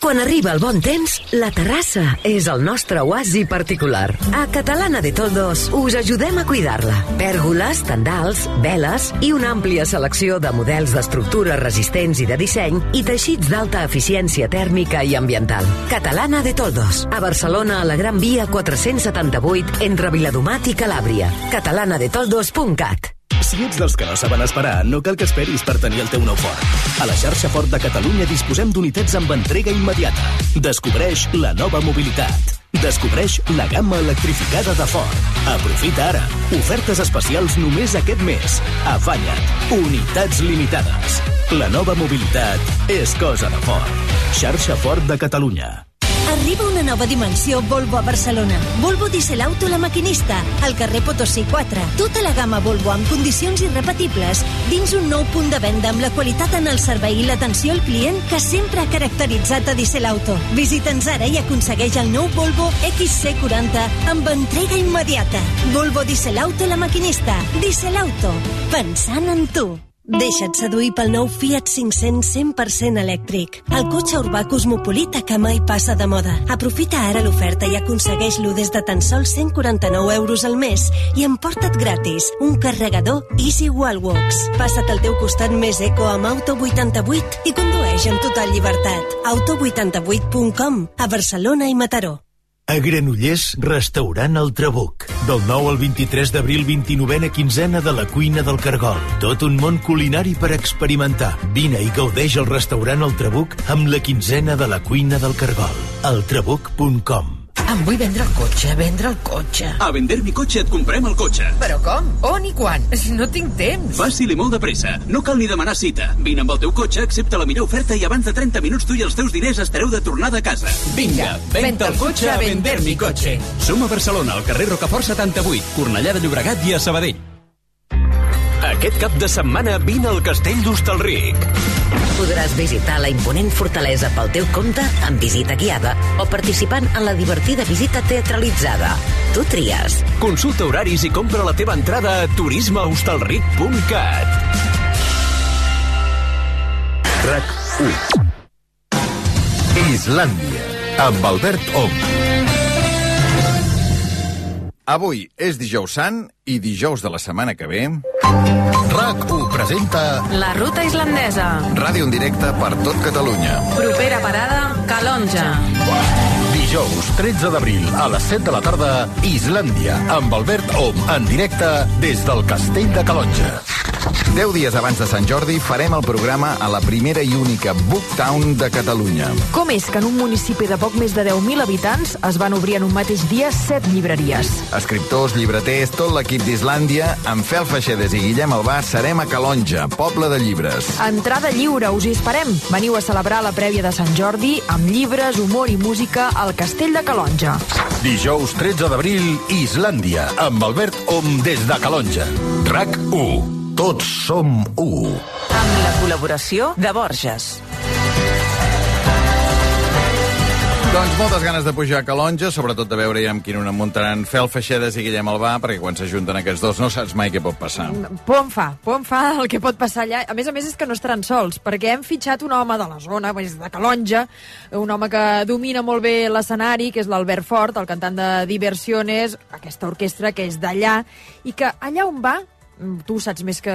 Quan arriba el bon temps, la terrassa és el nostre oasi particular. A Catalana de Toldos us ajudem a cuidar-la. Pèrgoles, tendals, veles i una àmplia selecció de models d'estructures resistents i de disseny i teixits d'alta eficiència tèrmica i ambiental. Catalana de Toldos. A Barcelona, a la Gran Via quatre-cents setanta-vuit, entre Viladomat i Calàbria. catalana de toldos punt cat. Si ets dels que no saben esperar, no cal que esperis per tenir el teu nou Ford. A la xarxa Ford de Catalunya disposem d'unitats amb entrega immediata. Descobreix la nova mobilitat. Descobreix la gamma electrificada de Ford. Aprofita ara. Ofertes especials només aquest mes. Afanya't. Unitats limitades. La nova mobilitat és cosa de Ford. Xarxa Ford de Catalunya. Arriba una nova dimensió Volvo a Barcelona. Volvo Diesel Auto La Maquinista, al carrer Potosí quatre. Tota la gamma Volvo amb condicions irrepetibles dins un nou punt de venda amb la qualitat en el servei i l'atenció al client que sempre ha caracteritzat a Diesel Auto. Visita'ns ara i aconsegueix el nou Volvo X C quaranta amb entrega immediata. Volvo Diesel Auto La Maquinista. Diesel Auto. Pensant en tu. Deixa't seduir pel nou Fiat cinc-cents cent per cent elèctric. El cotxe urbà cosmopolita que mai passa de moda. Aprofita ara l'oferta i aconsegueix-lo des de tan sols cent quaranta-nou euros al mes i emporta't gratis un carregador Easy Wallbox. Passa't al teu costat més eco amb Auto vuitanta-vuit i condueix amb total llibertat. auto vuitanta vuit punt com, a Barcelona i Mataró. A Granollers, restaurant El Trabuc. Del nou al vint-i-tres d'abril, vint-i-novena quinzena de la cuina del Cargol. Tot un món culinari per experimentar. Vine i gaudeix al restaurant El Trabuc amb la quinzena de la cuina del Cargol. el trabuc punt com. Em vull vendre el cotxe, vendre el cotxe. A Vender mi cotxe et comprem el cotxe. Però com? On i quan? No tinc temps. Fàcil i molt de pressa. No cal ni demanar cita. Vine amb el teu cotxe, accepta la millor oferta i abans de trenta minuts tu i els teus diners estareu de tornada a casa. Vinga, venta el cotxe a Vender mi cotxe. Som a Barcelona, al carrer Rocafort setanta-vuit, Cornellà de Llobregat i a Sabadell. Aquest cap de setmana vine al Castell d'Hostalric. Podràs visitar la imponent fortalesa pel teu compte amb visita guiada o participant en la divertida visita teatralitzada. Tu tries. Consulta horaris i compra la teva entrada a turisme hostalric punt cat. RAC u. Islàndia, amb Albert Om. Avui és dijous sant i dijous de la setmana que ve... RAC u presenta... La ruta islandesa. Ràdio en directe per tot Catalunya. Propera parada, Calonja. Dijous tretze d'abril a les set de la tarda, Islàndia, amb Albert Om, en directe des del Castell de Calonja. Deu dies abans de Sant Jordi farem el programa a la primera i única Booktown de Catalunya. Com és que en un municipi de poc més de deu mil habitants es van obrir en un mateix dia set llibreries? Escriptors, llibreters, tot l'equip d'Islàndia, amb Fel Feixedes i Guillem Albà, serem a Calonja, poble de llibres. Entrada lliure, us hi esperem. Veniu a celebrar la prèvia de Sant Jordi amb llibres, humor i música al Castell de Calonja. Dijous tretze d'abril, Islàndia, amb Albert Om des de Calonja. RAC u. Tots som u. Amb la col·laboració de Borges. Doncs moltes ganes de pujar a Calonja, sobretot de veure ja amb quin una muntaran Fel Feixedes i Guillem Albà, perquè quan s'ajunten aquests dos no saps mai què pot passar. Por em fa, por em fa el que pot passar allà. A més a més és que no estaran sols, perquè hem fitxat un home de la zona, de Calonja, un home que domina molt bé l'escenari, que és l'Albert Fort, el cantant de Diversiones, aquesta orquestra que és d'allà, i que allà on va tu ho saps més que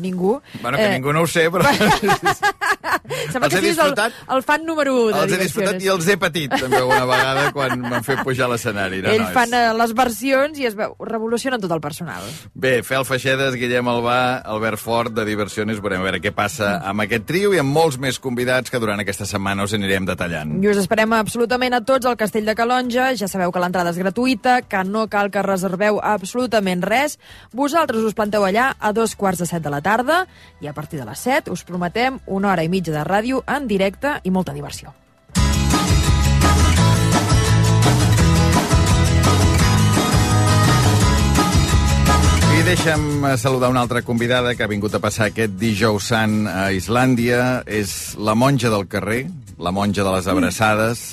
ningú. Bueno, que eh... ningú no ho sé, però... Sembla que siguis el, el fan número un de Els he disfrutat i els he patit, també, alguna vegada, quan m'han fet pujar a l'escenari. No, Ells no, fan és... les versions i es veu, revolucionen tot el personal. Bé, Fel Feixedes, Guillem Albà, Albert Fort, de Diversiones, veurem a veure què passa amb aquest trio i amb molts més convidats que durant aquesta setmana us anirem detallant. I us esperem absolutament a tots al Castell de Calonge. Ja sabeu que l'entrada és gratuïta, que no cal que reserveu absolutament res. Vosaltres us planteu allà a dos quarts de set de la tarda i a partir de les set us prometem una hora i mitja de ràdio en directe i molta diversió. I deixa'm saludar una altra convidada que ha vingut a passar aquest dijous sant a Islàndia. És la monja del carrer, la monja de les abraçades.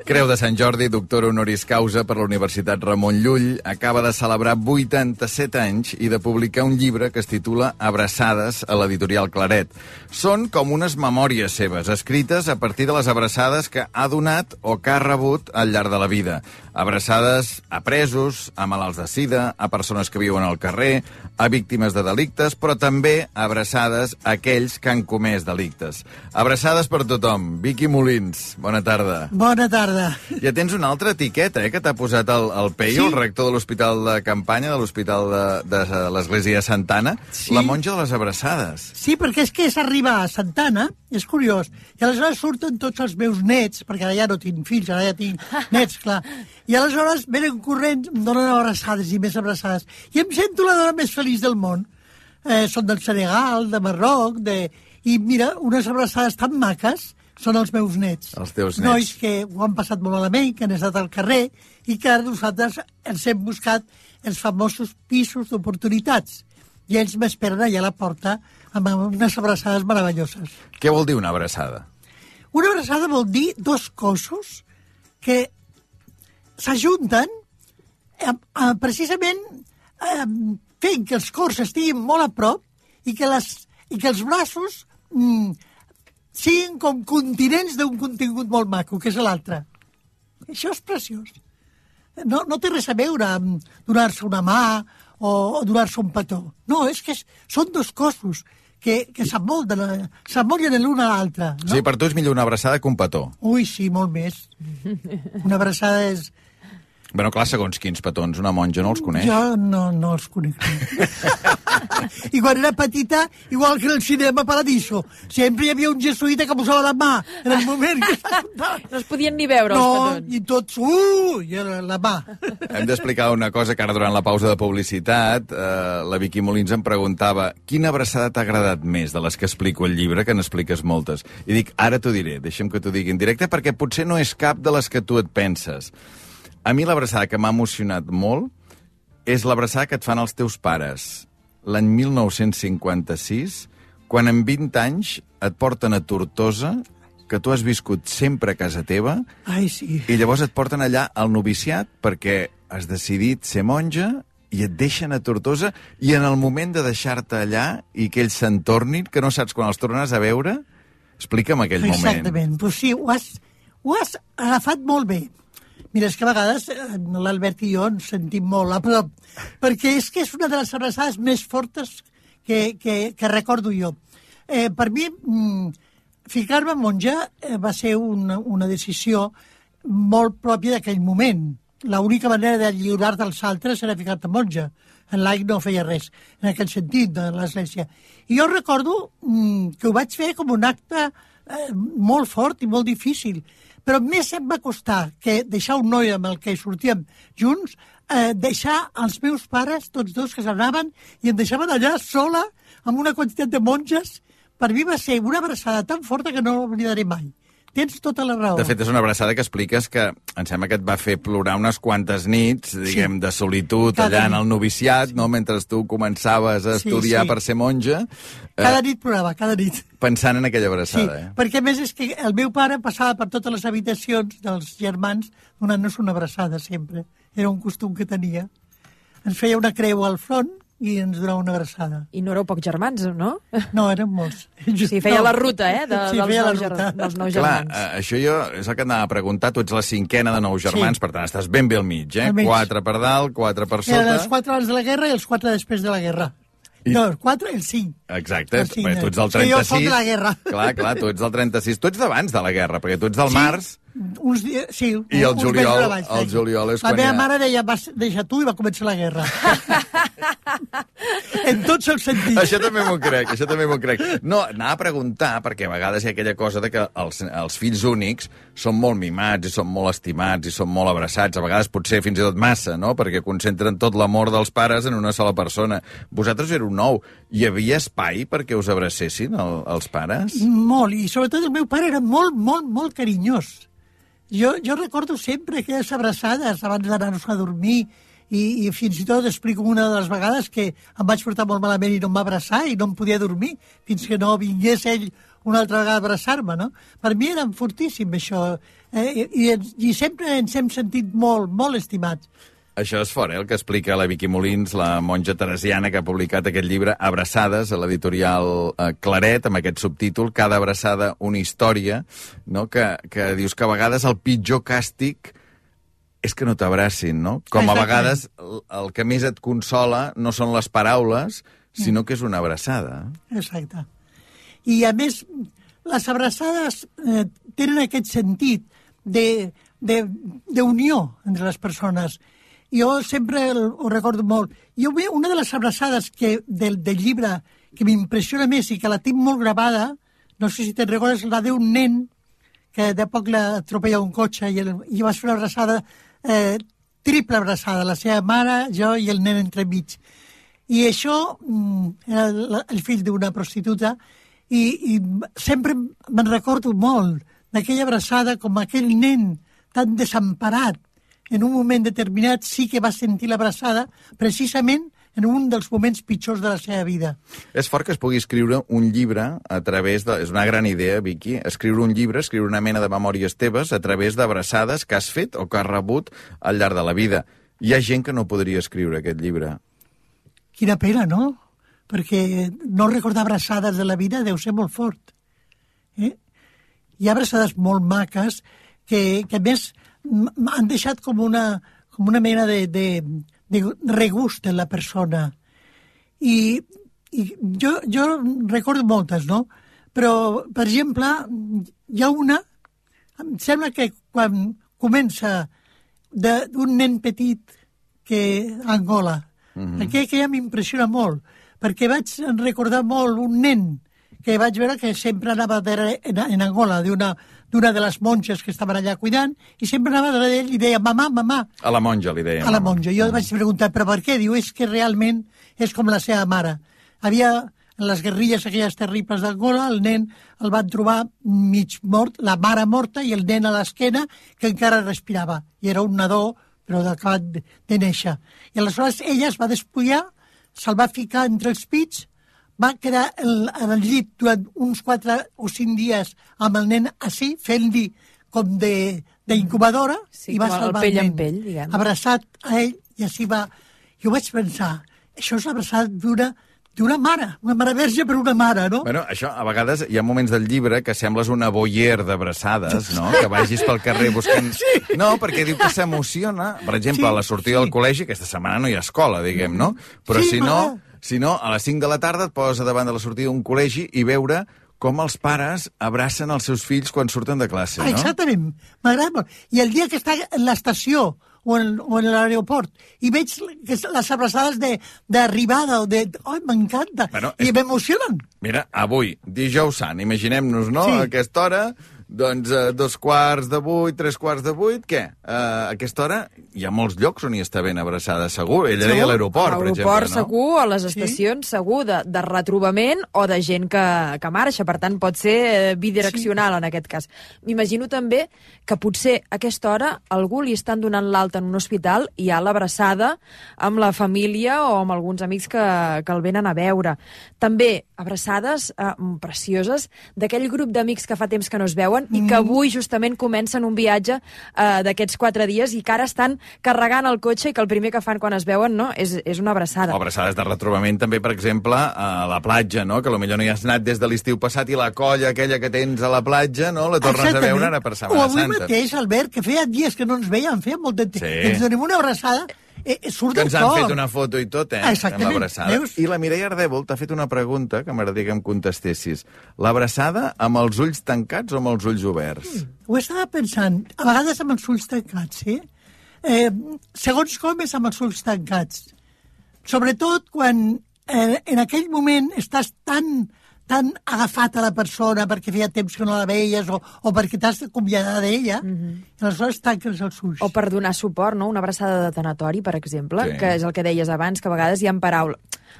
Creu de Sant Jordi, doctora honoris causa per la Universitat Ramon Llull, acaba de celebrar vuitanta-set anys i de publicar un llibre que es titula Abraçades a l'editorial Claret. Són com unes memòries seves, escrites a partir de les abraçades que ha donat o que ha rebut al llarg de la vida. Abraçades a presos, a malalts de sida, a persones que viuen al carrer, a víctimes de delictes, però també abraçades a aquells que han comès delictes. Abraçades per tothom. Vicky Molins, bona tarda. Bona tarda. Ja tens una altra etiqueta, eh, que t'ha posat el, el Peio, sí? El rector de l'Hospital de Campanya, de l'Hospital de, de l'Església de Santana, sí? La monja de les abraçades. Sí, perquè és que és arribar a Santana, és curiós, i aleshores surten tots els meus nets, perquè ara ja no tinc fills, ara ja tinc nets, clar, i aleshores venen corrents, em donen abraçades i més abraçades, i em sento la dona més feliç del món. Eh, són del Senegal, de Marroc, de... i mira, unes abraçades tan maques, són els meus nets. Els teus nets. Nois que ho han passat molt malament, que han estat al carrer, i que ara nosaltres ens hem buscat els famosos pisos d'oportunitats. I ells m'esperen allà a la porta amb unes abraçades meravelloses. Què vol dir una abraçada? Una abraçada vol dir dos cossos que s'ajunten eh, eh, precisament eh, fent que els cors estiguin molt a prop i que, les, i que els braços mm, siguin com continents d'un contingut molt maco, que és l'altre. Això és preciós. No, no té res a veure amb donar-se una mà o, o donar-se un petó. No, és que és, són dos cossos que, que s'amollen l'un a l'altre. No? Sí, per tu és millor una abraçada que un petó. Ui, sí, molt més. Una abraçada és... Bueno, clar, segons quins petons, una monja no els coneix. Jo no, no els conec. I quan era petita, igual que en el cinema Paradiso, sempre hi havia un jesuïta que posava la mà en el moment que s'ajuntava. No es podien ni veure, no, els petons. No, i tots, uh, i era la mà. Hem d'explicar una cosa que ara durant la pausa de publicitat eh, la Vicky Molins em preguntava quina abraçada t'ha agradat més de les que explico al llibre, que n'expliques moltes. I dic, ara t'ho diré, deixa'm que t'ho digui en directe, perquè potser no és cap de les que tu et penses. A mi l'abraçada que m'ha emocionat molt és l'abraçada que et fan els teus pares l'any mil nou-cents cinquanta-sis, quan en vint anys et porten a Tortosa, que tu has viscut sempre a casa teva, ai, sí. I llavors et porten allà al noviciat perquè has decidit ser monja i et deixen a Tortosa, i en el moment de deixar-te allà i que ells se'n tornin, que no saps quan els tornaràs a veure, explica'm aquell Exactament. moment. Exactament, però sí, ho has, ho has agafat molt bé. Mira, és que a vegades l'Albert i jo ens sentim molt a prop, perquè és que és una de les abraçades més fortes que, que, que recordo jo. Eh, per mi, mm, ficar-me monja eh, va ser una, una decisió molt pròpia d'aquell moment. L'única manera de lliurar dels altres era ficar-te monja. En l'A I no feia res, en aquell sentit, de l'Església. I jo recordo mm, que ho vaig fer com un acte eh, molt fort i molt difícil, però més em va costar que deixar un noi amb el que sortíem junts, eh, deixar els meus pares, tots dos que s'anaven, i em deixaven allà sola, amb una quantitat de monges. Per mi va ser una abraçada tan forta que no l'oblidaré mai. Tens tota la raó. De fet, és una abraçada que expliques que em sembla que et va fer plorar unes quantes nits, diguem, sí. de solitud Cada allà nit. En el noviciat, sí. no? Mentre tu començaves a estudiar sí, sí. per ser monja. Cada eh, nit plorava, cada nit. Pensant en aquella abraçada, sí, eh? Perquè a més és que el meu pare passava per totes les habitacions dels germans donant-nos una abraçada sempre. Era un costum que tenia. Ens feia una creu al front i ens donava una abraçada. I no éreu pocs germans, no? No, érem molts. Sí, feia no. la ruta, eh? De, sí, dels, feia nou la ruta. Ger dels nou germans. Clar, eh, això jo és el que anava a preguntar. Tu ets la cinquena de nou germans, sí. per tant, estàs ben bé al mig, eh? Al mig. Quatre per dalt, quatre per sota. Eren els quatre abans de la guerra i els quatre després de la guerra. I... No, el quatre, el cinc. Exacte, el cinc, bé, tu ets del sí, jo trenta-sis. soc de la guerra. Clar, clar, tu ets del trenta-sis. Tu ets d'abans de la guerra, perquè tu ets del sí, març. Uns dies, sí, I el uns juliol, abans, el juliol és la quan meva ja... mare deia, vas, deixa tu, i va començar la guerra. En tots els sentits. Això també m'ho crec, això també m'ho crec. No, anava a preguntar, perquè a vegades hi ha aquella cosa de que els, els fills únics són molt mimats i són molt estimats i són molt abraçats, a vegades potser fins i tot massa, no?, perquè concentren tot l'amor dels pares en una sola persona. Vosaltres éreu nou. Hi havia espai perquè us abracessin el, els pares? Molt, i sobretot el meu pare era molt, molt, molt carinyós. Jo, jo recordo sempre aquelles abraçades abans d'anar-nos a dormir i, i fins i tot explico una de les vegades que em vaig portar molt malament i no em va abraçar i no em podia dormir fins que no vingués ell una altra vegada a abraçar-me, no? Per mi era fortíssim, això. Eh, i, I sempre ens hem sentit molt, molt estimats. Això és fort, eh, el que explica la Vicky Molins, la monja teresiana que ha publicat aquest llibre Abraçades, a l'editorial eh, Claret, amb aquest subtítol, Cada abraçada una història, no? que, que dius que a vegades el pitjor càstig és que no t'abracin, no? Com a vegades el, el que més et consola no són les paraules, sinó que és una abraçada. Exacte. I, a més, les abraçades eh, tenen aquest sentit d'unió entre les persones. Jo sempre ho recordo molt. Jo, una de les abraçades que, del, del llibre que m'impressiona més i que la tinc molt gravada, no sé si te'n recordes, la d'un nen que de poc l'atropella un cotxe i, el, i vas fer una abraçada, eh, triple abraçada, la seva mare, jo i el nen entremig. I això mm, era el, el fill d'una prostituta i, i sempre me'n recordo molt d'aquella abraçada com aquell nen tan desemparat en un moment determinat sí que va sentir l'abraçada precisament en un dels moments pitjors de la seva vida. És fort que es pugui escriure un llibre a través de... És una gran idea, Vicky, escriure un llibre, escriure una mena de memòries teves a través d'abraçades que has fet o que has rebut al llarg de la vida. Hi ha gent que no podria escriure aquest llibre. Quina pena, no? Perquè no recordar abraçades de la vida deu ser molt fort. Eh? Hi ha abraçades molt maques que, que a més, han deixat com una, com una mena de, de, de regust en la persona. I, i jo, jo recordo moltes, no? Però, per exemple, hi ha una, em sembla que quan comença d'un nen petit que a Angola, mm-hmm. aquella que ja m'impressiona molt, perquè vaig recordar molt un nen que vaig veure que sempre anava darrere, en, en Angola d'una d'una de les monges que estaven allà cuidant, i sempre anava darrere d'ell i deia, mamà, mamà. A la monja li deia. A la monja. Jo vaig preguntar, però per què? Diu, és que realment és com la seva mare. Havia, en les guerrilles aquelles terribles d'Angola, el nen el van trobar mig mort, la mare morta i el nen a l'esquena que encara respirava. I era un nadó, però acabat de, de néixer. I aleshores ella es va despullar, se'l va ficar entre els pits, va quedar el, en el llit durant uns quatre o cinc dies amb el nen així, fent-li com d'incubadora, sí, i va salvar el, el nen, pell, diguem. abraçat a ell, i així va... Jo vaig pensar, això és l'abraçat d'una d'una mare, una mare verge per una mare, no? Bueno, això, a vegades hi ha moments del llibre que sembles una boier d'abraçades, no? Que vagis pel carrer buscant... Sí. No, perquè diu que s'emociona. Per exemple, sí, a la sortida sí. del col·legi, aquesta setmana no hi ha escola, diguem, no? Però sí, si no, si no, a les cinc de la tarda et poses davant de la sortida d'un col·legi i veure com els pares abracen els seus fills quan surten de classe, no? Exactament, m'agrada molt. I el dia que està en l'estació o en, o en l'aeroport i veig les abraçades d'arribada o de... Ai, m'encanta! Bueno, I és... m'emocionen. Mira, avui, dijous sant, imaginem-nos, no? Sí. A aquesta hora, doncs, eh, dos quarts de vuit, tres quarts de vuit, què? Eh, a aquesta hora hi ha molts llocs on hi està ben abraçada, segur. Ella deia a l'aeroport, per exemple, no? A l'aeroport segur, a les estacions sí. segur, de, de retrobament o de gent que, que marxa. Per tant, pot ser bidireccional sí. en aquest cas. M'imagino també que potser a aquesta hora algú li estan donant l'alta en un hospital i hi ha l'abraçada amb la família o amb alguns amics que, que el venen a veure. També abraçades eh, precioses d'aquell grup d'amics que fa temps que no es veuen mm. i que avui justament comencen un viatge eh, d'aquests quatre dies i que ara estan carregant el cotxe i que el primer que fan quan es veuen no, és, és una abraçada. O abraçades de retrobament també, per exemple, a la platja, no? Que potser no hi has anat des de l'estiu passat i la colla aquella que tens a la platja, no? La tornes Exactament. a veure ara per Setmana Santa. O avui mateix, Albert, que feia dies que no ens veiem, feia molt de temps. Sí. Ens donem una abraçada eh, surt que del ens han cor. fet una foto i tot, eh? Exactament. Amb l'abraçada. Veus? I la Mireia Ardèvol t'ha fet una pregunta que m'agradaria que em contestessis. L'abraçada amb els ulls tancats o amb els ulls oberts? Mm. Ho estava pensant. A vegades amb els ulls tancats, sí? Eh, segons com és amb els ulls tancats. Sobretot quan eh, en aquell moment estàs tan tan agafat a la persona perquè feia temps que no la veies o, o perquè t'has d'acomiadar d'ella, mm-hmm. i aleshores tanques els ulls. O per donar suport, no? Una abraçada de tanatori, per exemple, Sí. que és el que deies abans, que a vegades hi ha paraules...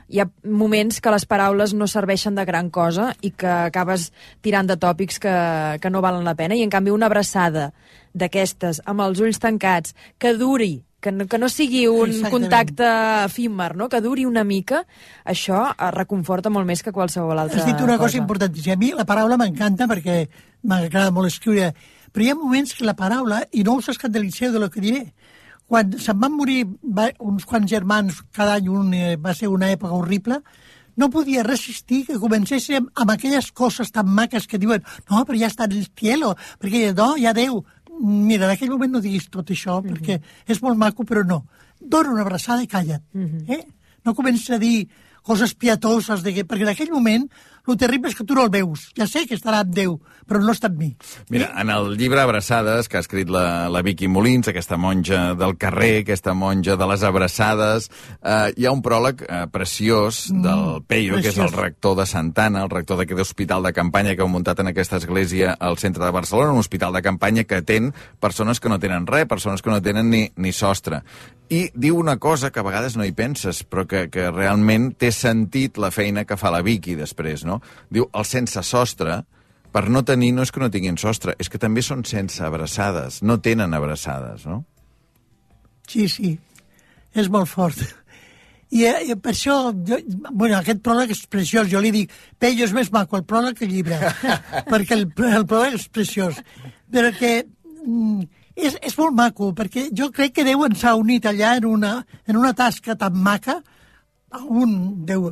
Hi ha moments que les paraules no serveixen de gran cosa i que acabes tirant de tòpics que, que no valen la pena, i en canvi una abraçada d'aquestes, amb els ulls tancats, que duri, que no, que no sigui un Exactament. contacte efímer, no? Que duri una mica, això reconforta molt més que qualsevol altra Has dit una cosa cosa importantíssima. A mi la paraula m'encanta perquè m'agrada molt escriure, però hi ha moments que la paraula, i no us escandalitzeu de lo que diré, quan se'n van morir va, uns quants germans, cada any un, eh, va ser una època horrible, no podia resistir que comencéssim amb aquelles coses tan maques que diuen no, però ja està en el cielo, perquè no, ja Déu. Mira, en aquell moment no diguis tot això, mm-hmm. perquè és molt maco, però no. Dóna una abraçada i calla't. Mm-hmm. eh? No comencis a dir coses pietoses, de que, perquè en aquell moment el terrible és que tu no el veus. Ja sé que estarà amb Déu, però no està amb mi. Mira, en el llibre Abraçades, que ha escrit la, la Vicky Molins, aquesta monja del carrer, aquesta monja de les abraçades, eh, hi ha un pròleg eh, preciós del Peyo, preciós. que és el rector de Santana, el rector d'aquest hospital de campanya que heu muntat en aquesta església al centre de Barcelona, un hospital de campanya que atén persones que no tenen res, persones que no tenen ni, ni sostre. I diu una cosa que a vegades no hi penses, però que, que realment té sentit la feina que fa la Vicky després, no? Diu, el sense sostre, per no tenir, no és que no tinguin sostre, és que també són sense abraçades, no tenen abraçades, no? Sí, sí, és molt fort. I, i per això, jo, bueno, aquest pròleg és preciós, jo li dic, Peyo, és més maco el pròleg que el llibre, perquè el, el pròleg és preciós. Però que mm, és, és molt maco, perquè jo crec que Déu ens ha unit allà en una, en una tasca tan maca, un, Déu,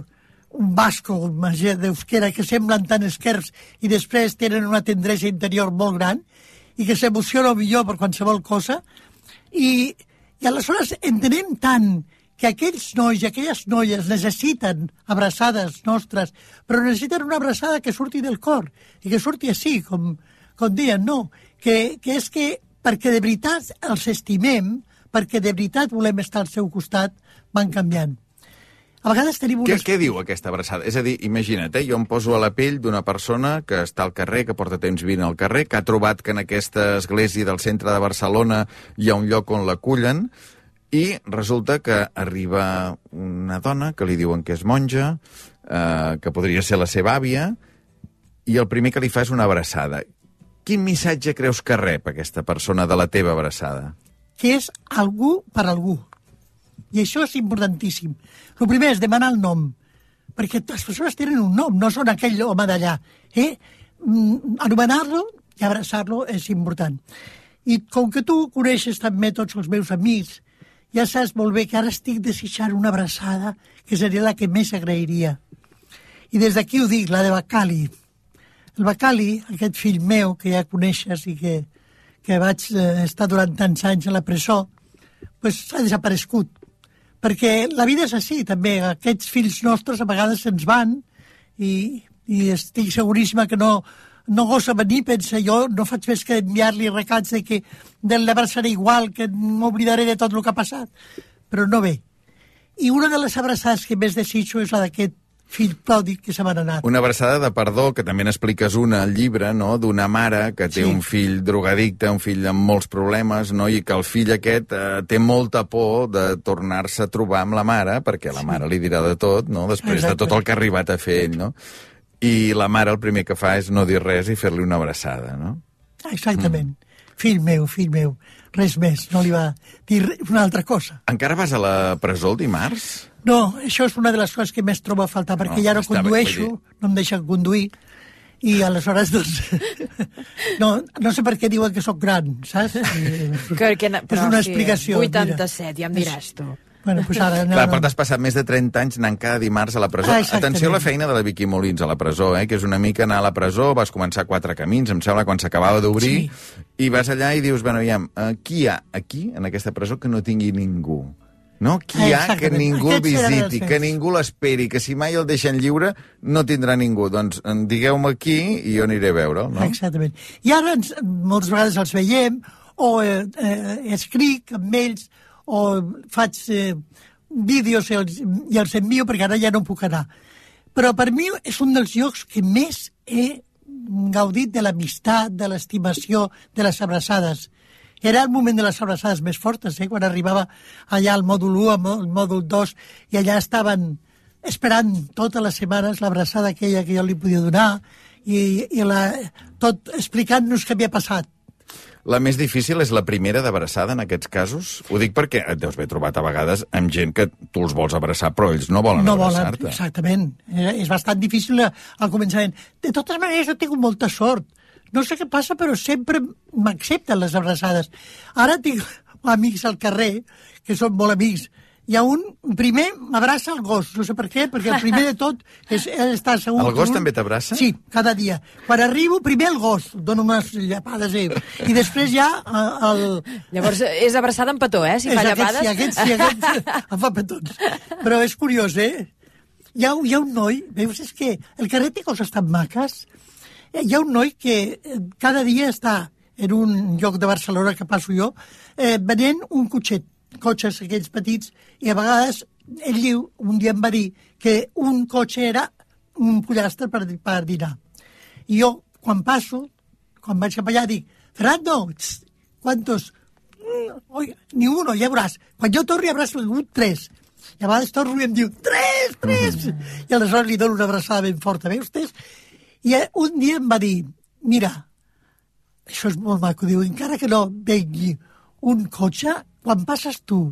un basco, un d'euskera, que semblen tan esquerps i després tenen una tendresa interior molt gran i que s'emociona millor per qualsevol cosa. I, i aleshores entenem tant que aquells nois i aquelles noies necessiten abraçades nostres, però necessiten una abraçada que surti del cor i que surti així, com, com deien, no, que, que és que perquè de veritat els estimem, perquè de veritat volem estar al seu costat, van canviant. A vegades tenim unes... Què, què diu aquesta abraçada? És a dir, imagina't, eh, jo em poso a la pell d'una persona que està al carrer, que porta temps vivint al carrer, que ha trobat que en aquesta església del centre de Barcelona hi ha un lloc on l'acullen, i resulta que arriba una dona que li diuen que és monja, eh, que podria ser la seva àvia, i el primer que li fa és una abraçada. Quin missatge creus que rep aquesta persona de la teva abraçada? Que és algú per algú. I això és importantíssim. El primer és demanar el nom, perquè les persones tenen un nom, no són aquell home d'allà. Eh? Anomenar-lo i abraçar-lo és important. I com que tu coneixes també tots els meus amics, ja saps molt bé que ara estic desitjant una abraçada que seria la que més agrairia. I des d'aquí ho dic, la de Bacali. El Bacali, aquest fill meu, que ja coneixes i que, que vaig eh, estar durant tants anys a la presó, pues, ha desaparegut. Perquè la vida és així, també. Aquests fills nostres a vegades se'ns van i, i estic seguríssima que no, no gosa venir, pensa jo, no faig més que enviar-li recats de que de l'abraçaré igual, que m'oblidaré de tot el que ha passat. Però no ve. I una de les abraçades que més desitjo és la d'aquest fill pròdig que se m'ha anat. Una abraçada de perdó, que també n'expliques una al llibre, no?, d'una mare que té sí. un fill drogadicte, un fill amb molts problemes, no?, i que el fill aquest eh, té molta por de tornar-se a trobar amb la mare, perquè la mare li dirà de tot, no?, després Exacte. de tot el que ha arribat a fer ell, no? I la mare el primer que fa és no dir res i fer-li una abraçada, no? Exactament. Mm. Fill meu, fill meu, res més, no li va dir una altra cosa. Encara vas a la presó el dimarts? No, això és una de les coses que més trobo a faltar, perquè no, ja no condueixo, bé, no em deixen conduir, i aleshores, doncs, no, no sé per què diuen que sóc gran, saps? Que, que, és una sí, explicació. vuitanta-set, mira. Ja em diràs tu. Bueno, pues ara, no, Clar, no. però t'has passat més de trenta anys anant cada dimarts a la presó. Ah, Atenció a la feina de la Vicky Molins a la presó, eh, que és una mica anar a la presó, vas començar quatre camins, em sembla, quan s'acabava d'obrir, sí. i vas allà i dius, bueno, aviam, qui hi ha aquí, en aquesta presó, que no tingui ningú? No? Qui ha que Exactament. ningú el Aquests eren els visiti, fets. que ningú l'esperi, que si mai el deixen lliure no tindrà ningú. Doncs digueu-me qui i jo aniré a veure'l, no? Exactament. I ara ens, moltes vegades els veiem, o eh, eh, escric amb ells, o faig eh, vídeos i els, i els envio, perquè ara ja no puc anar. Però per mi és un dels llocs que més he gaudit de l'amistat, de l'estimació, de les abraçades. Era el moment de les abraçades més fortes, eh? Quan arribava allà al mòdul u, al mòdul dos, i allà estaven esperant totes les setmanes l'abraçada aquella que jo li podia donar, i, i la, tot explicant-nos què havia passat. La més difícil és la primera d'abraçada en aquests casos? Ho dic perquè et deus haver trobat a vegades amb gent que tu els vols abraçar, però ells no volen no abraçar-te. Volen, exactament. És bastant difícil al començament. De totes maneres, jo tinc molta sort. No sé què passa, però sempre m'accepten les abraçades. Ara tinc amics al carrer, que són molt amics. Hi ha un, primer m'abraça el gos, no sé per què, perquè el primer de tot és estar segur... El gos un... també t'abraça? Sí, cada dia. Quan arribo, primer el gos, dono unes llapades, eh? I després ja el... Llavors és abraçada amb petó, eh? Si fa aquest, llapades... Sí, aquest, sí, aquest em fa petons. Però és curiós, eh? Hi ha, hi ha un noi, veus, és que el carrer té coses tan maques. Hi ha un noi que cada dia està en un lloc de Barcelona que passo jo, eh, venent un cotxet, cotxes aquells petits, i a vegades ell diu, un dia em va dir que un cotxe era un pollastre per, per dinar. I jo, quan passo, quan vaig cap allà, dic, Fernando, tss, ¿cuántos? Oi, ni uno, ja veuràs. Quan jo torno, abraço un tres. I a vegades torno i em diu, tres, tres! I aleshores li dono una abraçada ben forta, veus, tres? I un dia em va dir, mira, això és molt maco, diu, encara que no vengui un cotxe, quan passes tu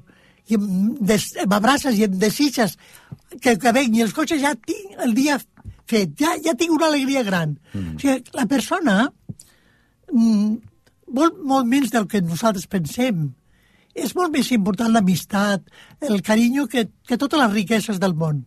i m'abraces i em desitges que, que vengui els cotxes, ja tinc el dia fet, ja, ja tinc una alegria gran. Mm. O sigui, la persona mm, vol molt menys del que nosaltres pensem. És molt més important l'amistat, el carinyo, que, que totes les riqueses del món.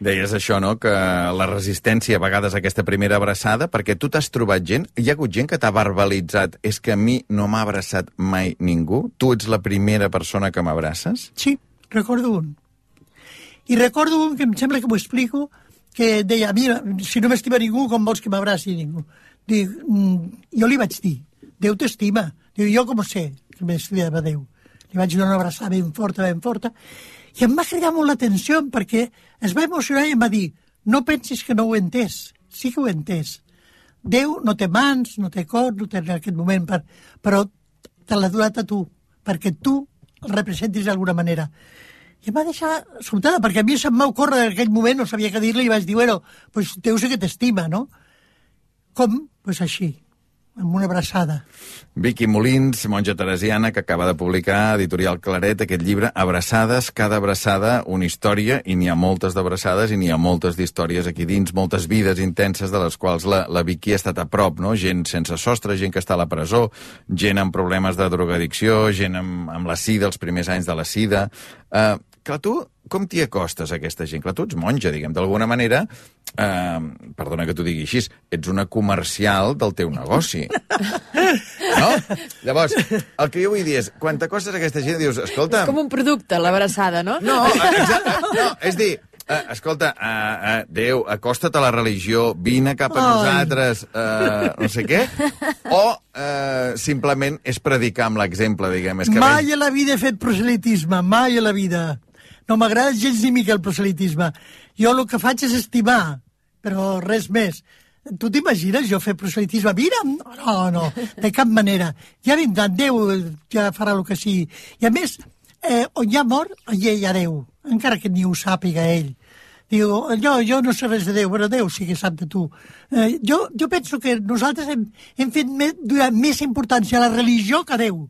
Deies això, no?, que la resistència a vegades a aquesta primera abraçada, perquè tu t'has trobat gent, hi ha hagut gent que t'ha verbalitzat, és que a mi no m'ha abraçat mai ningú, tu ets la primera persona que m'abraces? Sí, recordo un. I recordo un que em sembla que m'ho explico, que deia, mira, si no m'estima ningú, com vols que m'abraci ningú? Dic, mm, jo li vaig dir, Déu t'estima. Diu, jo com sé que m'estimava Déu? Li vaig donar una abraçada ben forta, ben forta, i em va cridar molt l'atenció perquè es va emocionar i em va dir, no pensis que no ho he entès, sí que ho he entès. Déu no té mans, no té cor, no té en aquest moment, per, però te l'ha donat a tu, perquè tu el representis d'alguna manera. I em va deixar sobtada, perquè a mi se'm va ocórrer en aquell moment, no sabia què dir-li, i vaig dir, bueno, pues Déu sé que t'estima, no? Com? Pues així, amb una abraçada. Vicky Molins, monja teresiana, que acaba de publicar Editorial Claret aquest llibre, Abraçades, cada abraçada una història, i n'hi ha moltes d'abraçades i n'hi ha moltes d'històries aquí dins, moltes vides intenses de les quals la, la Vicky ha estat a prop, no? Gent sense sostre, gent que està a la presó, gent amb problemes de drogadicció, gent amb, amb la sida, els primers anys de la sida... Uh, clar, tu com t'hi acostes a aquesta gent? Clar, tu ets monja, diguem, d'alguna manera, eh, perdona que t'ho digui així, ets una comercial del teu negoci. No? Llavors, el que jo vull dir és, quan t'acostes a aquesta gent, dius, escolta... És com un producte, l'abraçada, no? No, exacte, no, és dir, eh, escolta, eh, eh, Déu, acosta't a la religió, vine cap a Ai. nosaltres, eh, no sé què, o eh, simplement és predicar amb l'exemple, diguem. És que Mai a la vida he fet proselitisme, mai a la vida. No m'agrada gens ni mica el proselitisme. Jo el que faig és estimar, però res més. Tu t'imagines jo fer proselitisme? Mira, no, no, de cap manera. Ja vindran, Déu ja farà el que sigui. I a més, eh, on hi ha mort, allà hi ha Déu, encara que ni ho sàpiga ell. Diu, jo, jo no sé res de Déu, però Déu sí que sap de tu. Eh, jo, jo penso que nosaltres hem, hem fet més, més importància a la religió que a Déu.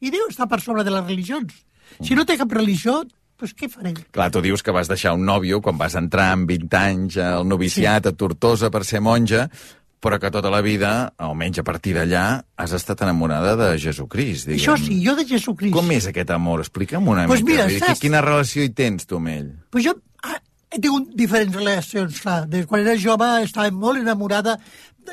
I Déu està per sobre de les religions. Si no té cap religió, doncs què farem? clar, tu dius que vas deixar un nòvio quan vas entrar amb vint anys al noviciat, sí, a Tortosa per ser monja, però que tota la vida, almenys a partir d'allà, has estat enamorada de Jesucrist, diguem. Això sí, jo de Jesucrist. Com és aquest amor? Explica'm una Pues mica. mira, Vull dir, saps? Quina relació hi tens, tu, amb ell? Pues jo ah, he tingut diferents relacions, clar. Des quan era jove estava molt enamorada.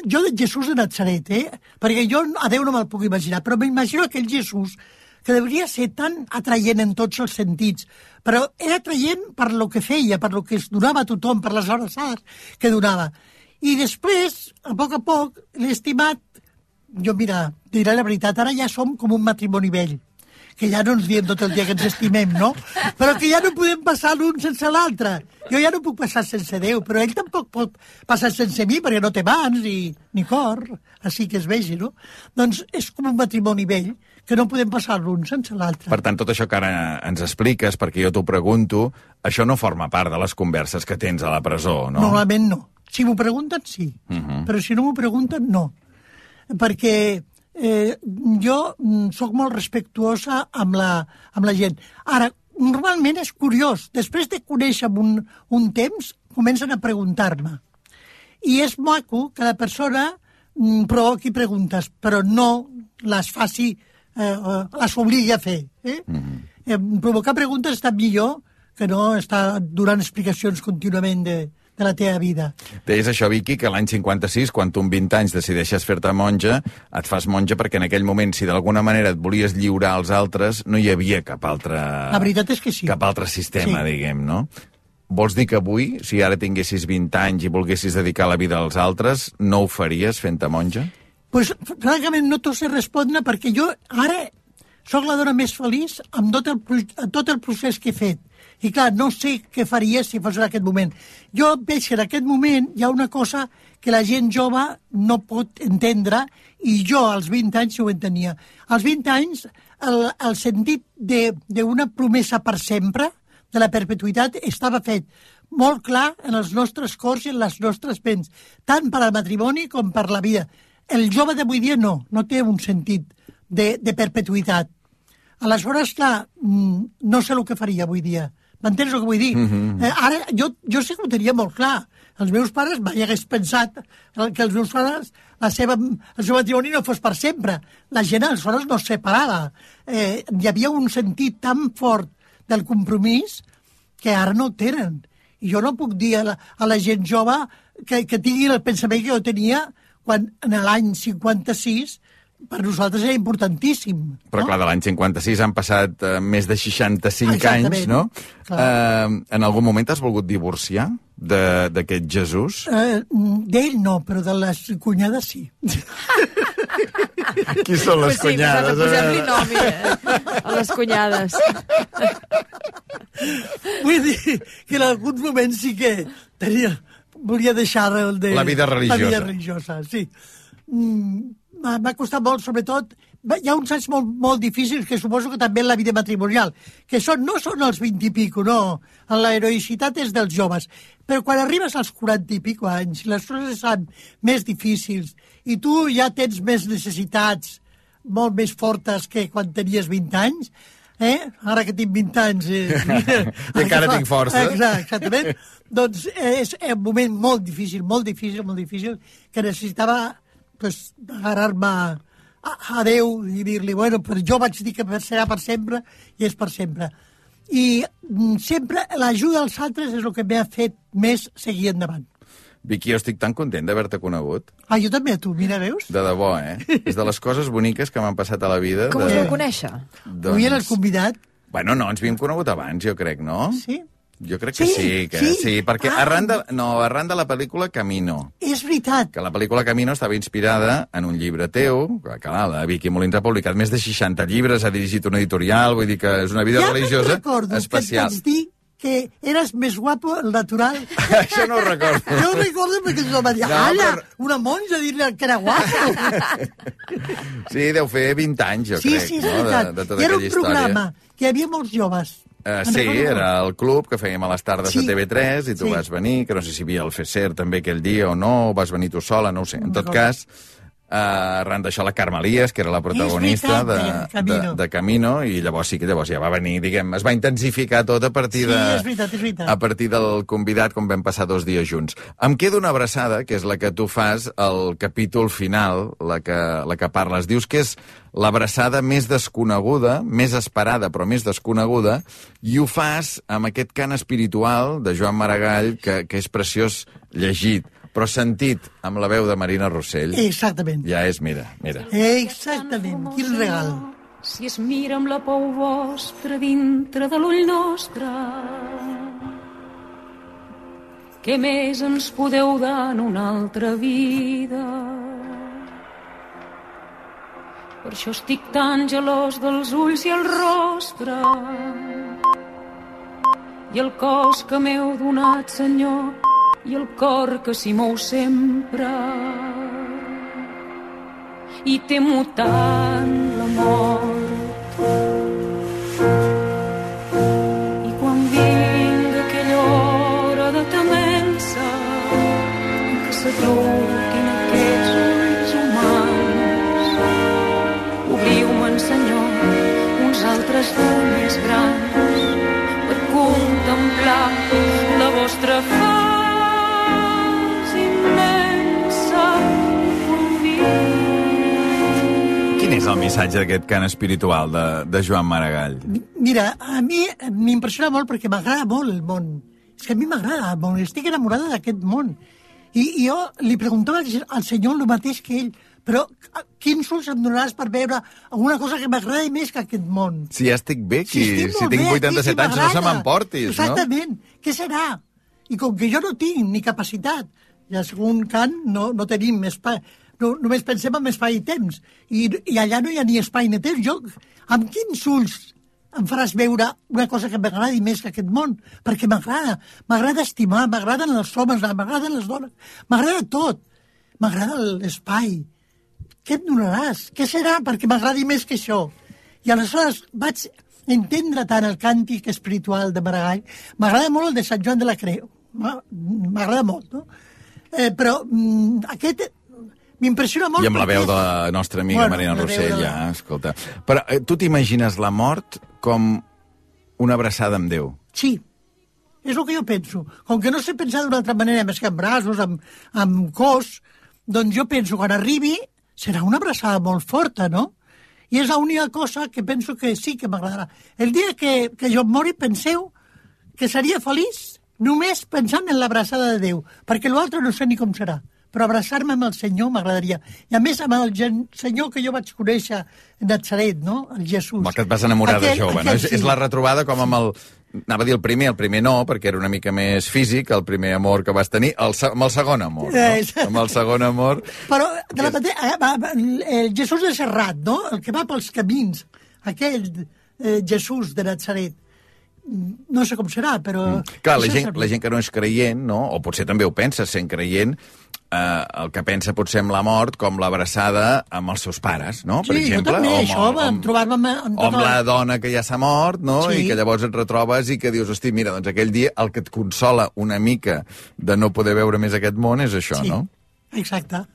Jo de Jesús de Natzaret, eh? Perquè jo a Déu no me'l puc imaginar, però m'imagino aquell Jesús que devia ser tan atraient en tots els sentits, però era atraient per lo que feia, per lo que es donava a tothom, per les abraçades que donava. I després, a poc a poc, l'he estimat. Jo, mira, diré la veritat, ara ja som com un matrimoni vell, que ja no ens diem tot el dia que ens estimem, no? Però que ja no podem passar l'un sense l'altre. Jo ja no puc passar sense Déu, però ell tampoc pot passar sense mi, perquè no té mans ni, ni cor, així que es vegi, no? Doncs és com un matrimoni vell, que no podem passar l'un sense l'altre. Per tant, tot això que ara ens expliques, perquè jo t'ho pregunto, això no forma part de les converses que tens a la presó, no? Normalment no. Si m'ho pregunten, sí. Uh -huh. Però si no m'ho pregunten, no. Perquè eh, jo sóc molt respectuosa amb la, amb la gent. Ara, normalment és curiós. Després de conèixer un, un temps, comencen a preguntar-me. I és maco que la persona mm, provoqui preguntes, però no les faci, eh, les obligui a fer. Eh? Uh -huh. eh, provocar preguntes està millor que no estar donant explicacions contínuament de... de la teva vida. Deies això, Vicky, que l'any cinquanta-sis, quan tu amb vint anys decideixes fer-te monja, et fas monja perquè en aquell moment, si d'alguna manera et volies lliurar als altres, no hi havia cap altre... La veritat és que sí. Cap altre sistema, sí. Diguem, no? Vols dir que avui, si ara tinguessis vint anys i volguessis dedicar la vida als altres, no ho faries fent-te monja? Pues, francament, no t'ho sé respondre, perquè jo ara sóc la dona més feliç amb tot el, amb tot el procés que he fet. I clar, no sé què faria si fos en aquest moment. Jo veig que en aquest moment hi ha una cosa que la gent jove no pot entendre i jo als vint anys ho entenia. Als vint anys el, el sentit d'una promesa per sempre, de la perpetuïtat, estava fet molt clar en els nostres cors i en les nostres ments, tant per al matrimoni com per la vida. El jove d'avui dia no, no té un sentit de, de perpetuïtat. Aleshores, clar, no sé el que faria avui dia. M'entens el que vull dir? Mm-hmm. eh, ara, jo, jo sé que ho tenia molt clar. Els meus pares mai hagués pensat que els meus pares, la seva, el seu matrimoni no fos per sempre. La gent aleshores no es separava. Eh, hi havia un sentit tan fort del compromís que ara no el tenen. I jo no puc dir a la, a la gent jove que, que tingui el pensament que jo tenia quan en l'any cinquanta-sis per nosaltres era importantíssim. Però no? Clar, de l'any cinquanta-sis han passat uh, més de seixanta-cinc Exactament. anys, no? Uh, en algun moment t'has volgut divorciar d'aquest Jesús? Uh, D'ell no, però de les cunyades sí. Qui són les pues sí, cunyades? Sí, posem-li nom, eh? A les cunyades. Vull dir que en alguns moments sí que tenia, volia deixar el de... La vida religiosa. La vida religiosa, sí. Mm, m'ha costat molt, sobretot, hi ha uns anys molt, molt difícils que suposo que també en la vida matrimonial, que són, no són els vint i pico, no, la heroïcitat és dels joves, però quan arribes als quaranta i pico anys, les coses són més difícils, i tu ja tens més necessitats molt més fortes que quan tenies vint anys, eh? Ara que tinc vint anys... Eh, I encara tinc força. Exactament. Doncs és un moment molt difícil, molt difícil, molt difícil, que necessitava pues, agarrar-me a, a Déu i dir-li, bueno, però jo vaig dir que serà per sempre i és per sempre. I mm, sempre l'ajuda als altres és el que m'ha fet més seguir endavant. Vicky, jo estic tan content d'haver-te conegut. Ah, jo també, tu, mira, veus? De debò, eh? És de les coses boniques que m'han passat a la vida. Com de... us vau conèixer? Doncs... Avui era el convidat. Bueno, no, ens havíem conegut abans, jo crec, no? Sí. Jo crec que sí, sí, que sí, sí perquè ah. arran, de, no, arran de la pel·lícula Camino. És veritat. Que la pel·lícula Camino estava inspirada en un llibre teu, que clar, la Vicky Molins ha publicat més de seixanta llibres, ha dirigit una editorial, vull dir que és una vida ja religiosa recordo especial. Que et vaig dir que eres més guapo el natural. Això no ho recordo. Jo ho recordo perquè jo va dir, no, ala, però... una monja dir-li que era guapo. Sí, deu fer vint anys, jo sí, crec, sí, no? De, de tota I era aquella un programa història. Que hi havia molts joves. Uh, sí, era el club que fèiem a les tardes sí. de T V tres i tu sí. vas venir, que no sé si hi havia el Feser també aquell dia o no, o vas venir tu sola, no ho sé. En tot cas, uh, arran d'això la Carme Elias, que era la protagonista veritat, de, Camino. de, de Camino, i llavors sí que llavors ja va venir, diguem, es va intensificar tot a partir, sí, de, és veritat, és veritat. a partir del convidat, com vam passar dos dies junts. Em queda una abraçada, que és la que tu fas al capítol final, la que, la que parles. Dius que és l'abraçada més desconeguda, més esperada, però més desconeguda, i ho fas amb aquest cant espiritual de Joan Maragall, que, que és preciós llegit, però sentit amb la veu de Marina Rossell. Exactament. Ja és, mira, mira. Exactament, quin regal. si es mira amb la por vostra dintre de l'ull nostre. Què més ens podeu dar en una altra vida? Per això estic tan gelós dels ulls i el rostre i el cos que m'heu donat, Senyor, i el cor que s'hi mou sempre. I temo tant la mort. I quan vinga aquella hora de temença en què s'atruquin aquests ulls humans, obriu-me'n, Senyor, uns altres d'ull més grans per contemplar la vostra faç immensa. Quin és el missatge d'aquest cant espiritual de, de Joan Maragall? Mira, a mi m'impressiona molt perquè m'agrada molt el món. És que a mi m'agrada molt, estic enamorada d'aquest món. I, I jo li preguntava al senyor el mateix que ell, però quins ulls em donaràs per veure alguna cosa que m'agradi més que aquest món? Si ja estic bé, qui, si, si tinc vuitanta-set anys, no se m'emportis, no? Exactament. Què serà? I com que jo no tinc ni capacitat, ja segons Kant no, no tenim espai, no, només pensem en espai i temps, i, i allà no hi ha ni espai ni temps. Jo, amb quins ulls em faràs veure una cosa que m'agradi més que aquest món? Perquè m'agrada, m'agrada estimar, m'agraden els homes, m'agraden les dones, m'agrada tot, m'agrada l'espai. Què em donaràs? Què serà perquè m'agradi més que això? I aleshores vaig entendre tant el càntic espiritual de Maragall. M'agrada molt el de Sant Joan de la Creu. M'agrada molt, no? Eh, però mm, aquest m'impressiona molt. I amb perquè... la veu de la nostra amiga bueno, Marina Rossell, de... ja, escolta. Però eh, tu t'imagines la mort com una abraçada amb Déu? Sí, és el que jo penso. Com que no sé pensar d'una altra manera, més que amb braços, amb, amb cos, doncs jo penso, quan arribi, serà una abraçada molt forta, no? I és l'única cosa que penso que sí que m'agradarà. El dia que, que jo em mori, penseu que seria feliç només pensant en l'abraçada de Déu, perquè l'altre no sé ni com serà, però abraçar-me amb el Senyor m'agradaria. I a més amb el gen... Senyor que jo vaig conèixer a Natzaret, no? El Jesús. El que et vas enamorar aquell, de jove, aquell, no? És, sí. és la retrobada com amb el... Anava a dir el primer, el primer no, perquè era una mica més físic, el primer amor que vas tenir, el, amb el segon amor, no? Eh, amb el segon amor... Però de la mateixa... El Jesús de Serrat, no? El que va pels camins, aquell eh, Jesús de Natzaret. No sé com serà, però... Mm. Clar, la gent, la gent que no és creient, no? O potser també ho pensa, sent creient, eh, el que pensa potser amb la mort com l'abraçada amb els seus pares, no? Sí, per exemple, jo també, o això, amb, amb, trobar-me amb... O amb la dona que ja s'ha mort, no? Sí. I que llavors et retrobes i que dius, hosti, mira, doncs aquell dia el que et consola una mica de no poder veure més aquest món és això, sí. no? Exacte.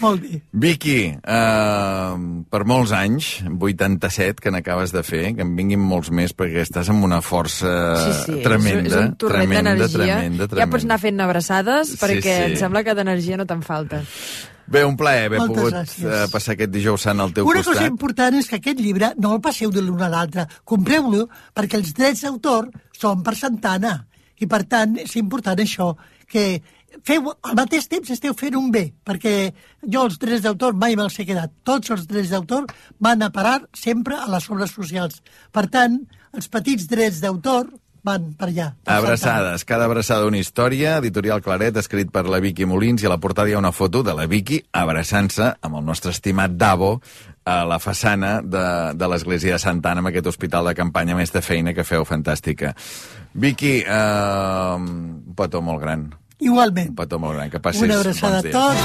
Molt bé. Vicky, uh, per molts anys, vuitanta-set, que n'acabes de fer, que en vinguin molts més, perquè estàs amb una força sí, sí, tremenda. És un torrent tremenda, d'energia. Tremenda, tremenda. Ja pots anar fent abraçades, perquè sí, sí. em sembla que d'energia no te'n falta. Bé, un plaer haver Moltes pogut gràcies. passar aquest dijous sant al teu una costat. Una cosa important és que aquest llibre no el passeu de l'un a l'altre. Compreu-lo perquè els drets d'autor són per Santana. I, per tant, és important això, que feu, al mateix temps esteu fent un bé, perquè jo els drets d'autor mai me'ls he quedat. Tots els drets d'autor van a parar sempre a les obres socials. Per tant, els petits drets d'autor van per allà. Per Abraçades, cada abraçada una història, editorial Claret, escrit per la Vicky Molins, i a la portada hi ha una foto de la Vicky abraçant-se amb el nostre estimat Davo a la façana de, de l'església de Santa Anna, amb aquest hospital de campanya, més de feina que feu fantàstica. Vicky, eh, un petó molt gran. Igualment. Un petó molt gran, que passis una abraçada bons dies. a tots.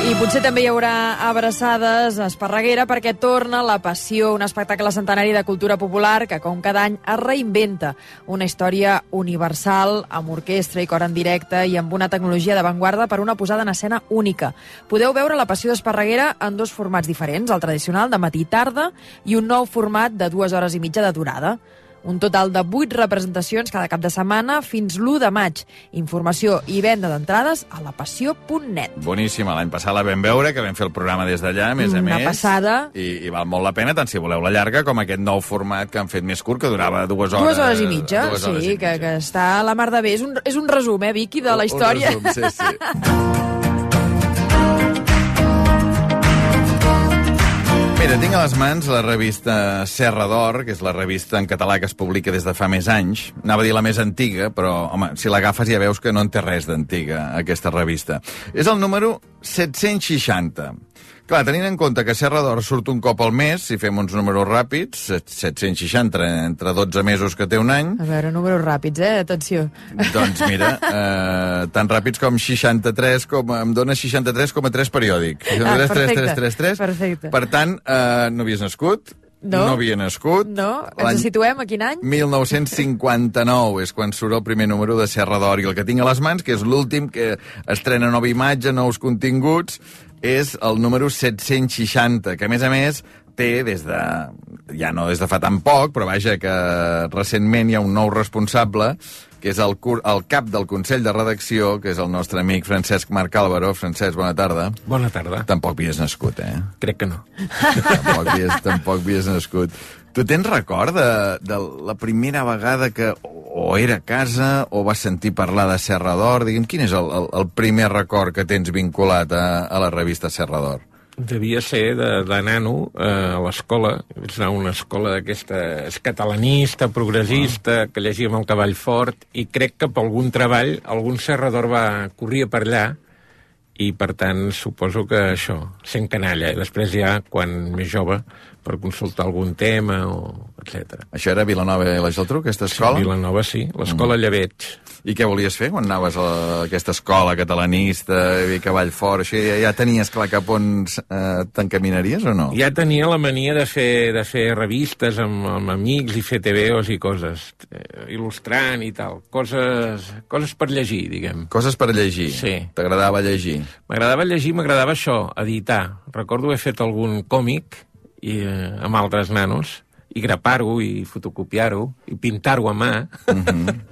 I potser també hi haurà abraçades a Esparreguera perquè torna La Passió, un espectacle centenari de cultura popular que, com cada any, es reinventa. Una història universal, amb orquestra i cor en directe i amb una tecnologia d'avantguarda per una posada en escena única. Podeu veure La Passió d'Esparreguera en dos formats diferents, el tradicional de matí i tarda i un nou format de dues hores i mitja de durada. Un total de vuit representacions cada cap de setmana fins l'u de maig. Informació i venda d'entrades a la passió punt net. Boníssima, l'any passat la vam veure, que vam fer el programa des d'allà, a més a Una més. Una passada. I, I val molt la pena, tant si voleu la llarga com aquest nou format que han fet més curt, que durava dues hores. Dues hores i mitja, dues sí, hores i mitja. Que, que està a la mar de bé. És un, és un resum, eh, Vicky, de la història. Un resum, sí, sí. Mira, tinc a les mans la revista Serra d'Or, que és la revista en català que es publica des de fa més anys. Anava a dir la més antiga, però, home, si l'agafes ja veus que no en té res d'antiga, aquesta revista. És el número set-cents seixanta. Clar, tenint en compte que Serra d'Or surt un cop al mes, si fem uns números ràpids, set-cents seixanta entre dotze mesos que té un any... A veure, números ràpids, eh? Atenció. Doncs mira, eh, tan ràpids com seixanta-tres, com, em dona seixanta-tres coma tres periòdic. Ah, perfecte. tres tres tres. Perfecte. Per tant, eh, no havies nascut? No. No havia nascut. No, ens situem a quin any? mil nou-cents cinquanta-nou és quan surt el primer número de Serra d'Or, i el que tinc a les mans, que és l'últim, que estrena nova imatge, nous continguts, és el número set-cents seixanta, que a més a més té des de... ja no des de fa tan poc, però vaja, que recentment hi ha un nou responsable, que és el, cur, el cap del Consell de Redacció, que és el nostre amic Francesc Marc Álvaro. Francesc, bona tarda. Bona tarda. Tampoc havies nascut, eh? Crec que no. Tampoc havies, tampoc havies nascut. Tu tens record de, de la primera vegada que o era a casa o vas sentir parlar de Serra d'Or? Digue'm, quin és el, el, el primer record que tens vinculat a, a la revista Serra d'Or? Devia ser de, de nano eh, a l'escola. És una escola d'aquesta catalanista, progressista, que llegíem el Cavall Fort, i crec que per algun treball algun Serra d'Or va corria per allà, i per tant suposo que això, sent canalla, i després ja, quan més jove, per consultar algun tema, o etcètera. Això era Vilanova i la Geltrú, aquesta escola? Sí, Vilanova, sí. L'escola mm. Lleveig. I què volies fer quan anaves a aquesta escola catalanista, i Cavall Fort, això ja, ja tenies clar cap on eh, t'encaminaries o no? Ja tenia la mania de fer, de fer revistes amb, amb amics i fer te veos i coses, eh, il·lustrant i tal. Coses, coses per llegir, diguem. Coses per llegir? Sí. T'agradava llegir? M'agradava llegir, m'agradava això, editar. Recordo haver fet algun còmic i, eh, amb altres nanos, i grapar-ho, i fotocopiar-ho, i pintar-ho a mà. Mm-hmm.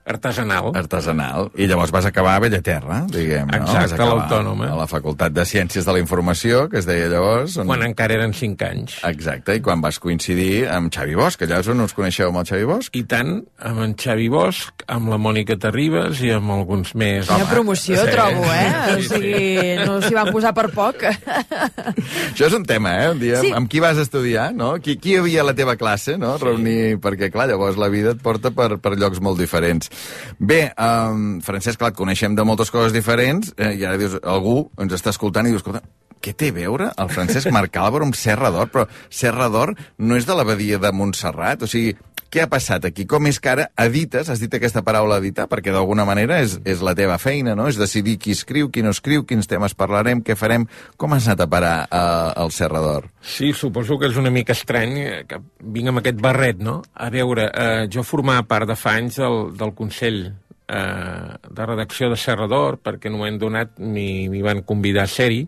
Artesanal. Artesanal. I llavors vas acabar a Bellaterra, diguem, no? Exacte, a l'Autònoma. A la Facultat de Ciències de la Informació, que es deia llavors... On... Quan encara eren cinc anys. Exacte, i quan vas coincidir amb Xavi Bosch, que allà no us coneixeu amb el Xavi Bosch? I tant, amb en Xavi Bosch, amb la Mònica Terribas i amb alguns més... Quina promoció, sí. Trobo, eh? Sí, o sigui, sí. No s'hi van posar per poc. Això és un tema, eh? Un dia, sí. Amb qui vas estudiar, no? Qui, qui hi havia a la teva classe, no? Sí. Reunir... Perquè, clar, llavors la vida et porta per, per llocs molt diferents. Bé, um, Francesc, clar, et coneixem de moltes coses diferents, eh, i ara dius, algú ens està escoltant i dius, escolta, què té a veure el Francesc Marc Álvaro amb Serra d'Or? Però Serra d'Or no és de l'abadia de Montserrat, o sigui, què ha passat aquí? Com és que ara edites, has dit aquesta paraula editar, perquè d'alguna manera és, és la teva feina, no? És decidir qui escriu, qui no escriu, quins temes parlarem, què farem. Com has anat a parar uh, al Serra d'Or? Sí, suposo que és una mica estrany que vinc amb aquest barret, no? A veure, eh, jo formava part de fa anys del, del Consell eh, de redacció de Serra d'Or, perquè en un moment donat m'hi van convidar a ser-hi,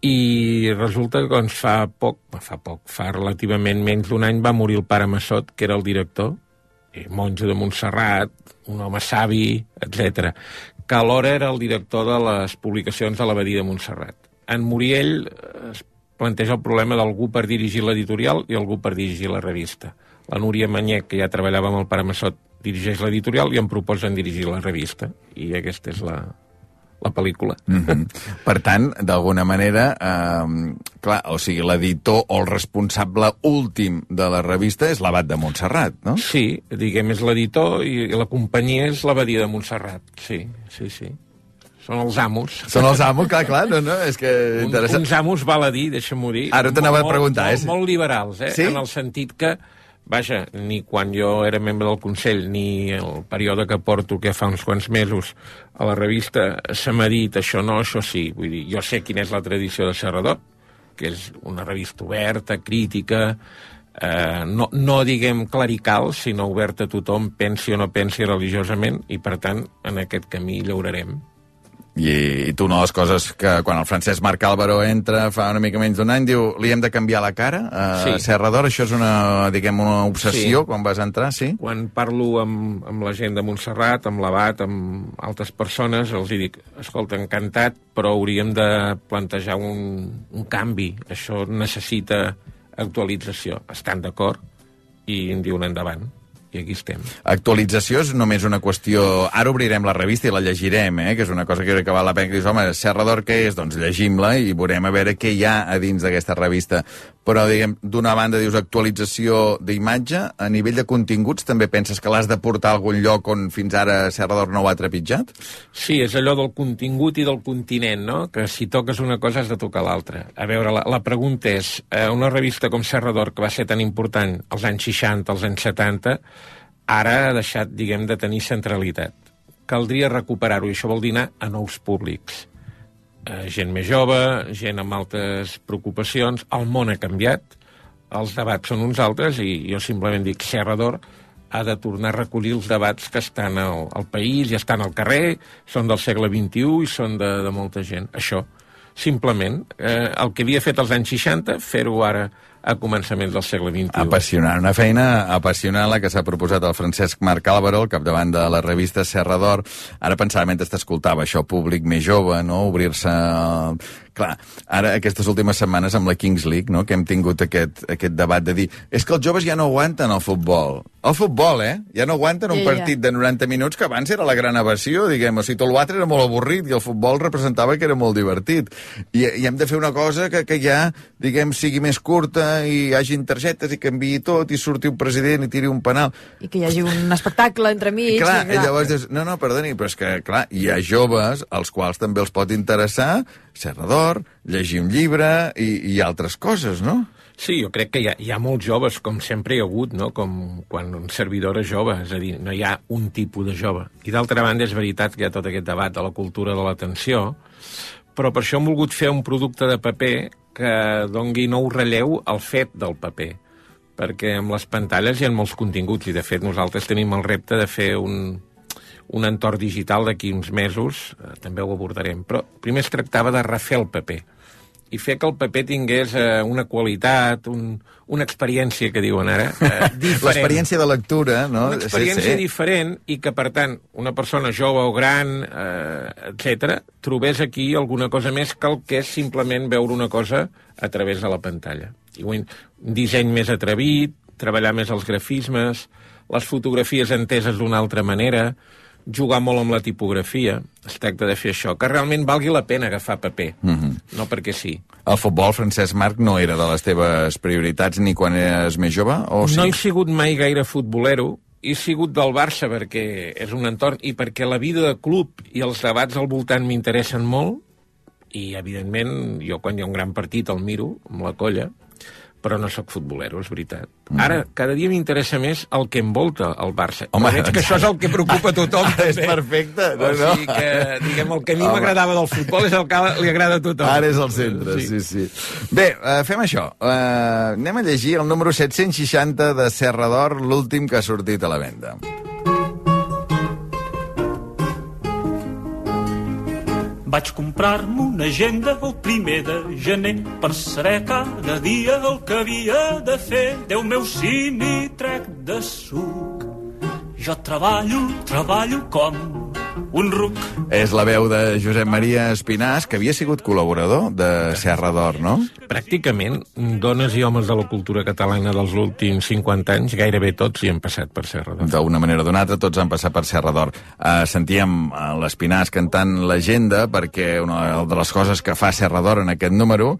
i resulta que doncs, fa poc, fa poc, fa relativament menys d'un any va morir el pare Massot, que era el director, i monjo de Montserrat, un home savi, etcètera, que alhora era el director de les publicacions de l'Abadia de Montserrat. En morir ell es planteja el problema d'algú per dirigir l'editorial i algú per dirigir la revista. La Núria Manyec, que ja treballava amb el pare Massot, dirigeix l'editorial i em proposen dirigir la revista. I aquesta és la, la pel·lícula. Mm-hmm. Per tant, d'alguna manera, eh, clar, o sigui, l'editor o el responsable últim de la revista és l'Abat de Montserrat, no? Sí, diguem, és l'editor i la companyia és l'Abadia de Montserrat. Sí, sí, sí. Són els amos. Són els amos, clar, clar, no, no, és que... Un, uns amos, val a dir, deixa'm-ho dir. Ara t'anava a preguntar, molt, eh? Molt, molt liberals, eh? Sí? En el sentit que, vaja, ni quan jo era membre del Consell, ni el període que porto, que fa uns quants mesos, a la revista, se m'ha dit això no, això sí. Vull dir, jo sé quina és la tradició de Serra d'Or, que és una revista oberta, crítica, eh, no, no diguem clerical, sinó oberta a tothom, pensi o no pensi religiosament, i per tant, en aquest camí llaurarem. I, i tu, una de les coses que quan el Francesc Marc Álvaro entra fa una mica menys d'un any, diu, li hem de canviar la cara a sí. Serra d'Or, això és una, diguem, una obsessió sí. Quan vas entrar, sí? Quan parlo amb, amb la gent de Montserrat, amb l'Abat, amb altres persones, els dic, escolta, encantat, però hauríem de plantejar un, un canvi, això necessita actualització. Estan d'acord i em diuen endavant. i aquí estem. Actualització és només una qüestió... Ara obrirem la revista i la llegirem, eh? Que és una cosa que crec que val la pena. Que dius, home, Serra d'Or què és? Doncs llegim-la i veurem a veure què hi ha a dins d'aquesta revista. Però, diguem, d'una banda dius actualització d'imatge, a nivell de continguts també penses que l'has de portar a algun lloc on fins ara Serra d'Or no ho ha trepitjat? Sí, és allò del contingut i del continent, no? Que si toques una cosa has de tocar l'altra. A veure, la, la pregunta és, eh, una revista com Serra d'Or, que va ser tan important als anys seixanta, als anys setanta, ara ha deixat, diguem, de tenir centralitat. Caldria recuperar-ho, i això vol dir anar a nous públics. Eh, gent més jove, gent amb altres preocupacions, el món ha canviat, els debats són uns altres, i jo simplement dic, Serra d'Or ha de tornar a recollir els debats que estan al, al país i estan al carrer, són del segle vint-i-u i són de, de molta gent. Això, simplement, eh, el que havia fet als anys seixanta, fer-ho ara a començaments del segle vint-i-u. Apassionant, una feina apassionant la que s'ha proposat el Francesc Marc Álvaro, al capdavant de la revista Serra d'Or. Ara pensava, mentre t'escoltava, això, públic més jove, no?, obrir-se... Clar, ara, aquestes últimes setmanes amb la Kings League, no?, que hem tingut aquest, aquest debat de dir és que els joves ja no aguanten el futbol. El futbol, eh? Ja no aguanten un Ja, ja. partit de noranta minuts que abans era la gran evasió, diguem. O sigui, tot l'altre era molt avorrit i el futbol representava que era molt divertit. I, i hem de fer una cosa que, que ja, diguem, sigui més curta i hi hagi targetes i canviï tot i surti un president i tiri un penal. I que hi hagi un espectacle entre amics. I clar, i, i llavors dius, no, no, perdoni, però és que, clar, hi ha joves als quals també els pot interessar Serra d'Or, llegir un llibre i, i altres coses, no? Sí, jo crec que hi ha, hi ha molts joves, com sempre hi ha hagut, no?, com quan un servidor és jove, és a dir, no hi ha un tipus de jove. I d'altra banda, és veritat que hi ha tot aquest debat de la cultura de l'atenció, però per això hem volgut fer un producte de paper que dongui nou relleu al fet del paper, perquè amb les pantalles hi ha molts continguts, i de fet nosaltres tenim el repte de fer un, un entorn digital d'aquí uns mesos, eh, també ho abordarem, però primer es tractava de refer el paper, i fer que el paper tingués eh, una qualitat, un, una experiència, que diuen ara, eh, diferent. L'experiència de lectura, no? Una experiència sí, sí. diferent i que, per tant, una persona jove o gran, eh, etcètera, trobés aquí alguna cosa més que el que és simplement veure una cosa a través de la pantalla. I un disseny més atrevit, treballar més els grafismes, les fotografies enteses d'una altra manera, jugar molt amb la tipografia, es tracta de fer això, que realment valgui la pena agafar paper, Mm-hmm. no perquè sí. El futbol, Francesc Marc, no era de les teves prioritats ni quan eres més jove? O sí? No he sigut mai gaire futbolero, he sigut del Barça perquè és un entorn i perquè la vida de club i els debats al voltant m'interessen molt, i evidentment jo quan hi ha un gran partit el miro amb la colla, però no sóc futbolero, és veritat. Mm. Ara, cada dia m'interessa més el que envolta el Barça. Home, veig que això és el que preocupa a tothom. És perfecte. No, O sigui que, diguem, el que a mi m'agradava del futbol és el que li agrada a tothom. Ara és el centre, sí, sí. sí. Bé, uh, fem això. Uh, anem a llegir el número set-cents seixanta de Serra d'Or, l'últim que ha sortit a la venda. Vaig comprar-me una agenda el primer de gener per saber cada dia el que havia de fer. Déu meu, si n'hi trec de suc. Jo treballo, treballo com un ruc. És la veu de Josep Maria Espinàs, que havia sigut col·laborador de Serra d'Or, no? Pràcticament, dones i homes de la cultura catalana dels últims cinquanta anys, gairebé tots hi han passat per Serra d'Or. D'una manera o d'una altra, tots han passat per Serra d'Or. Uh, sentíem uh, l'Espinàs cantant l'agenda, perquè una de les coses que fa Serra d'Or en aquest número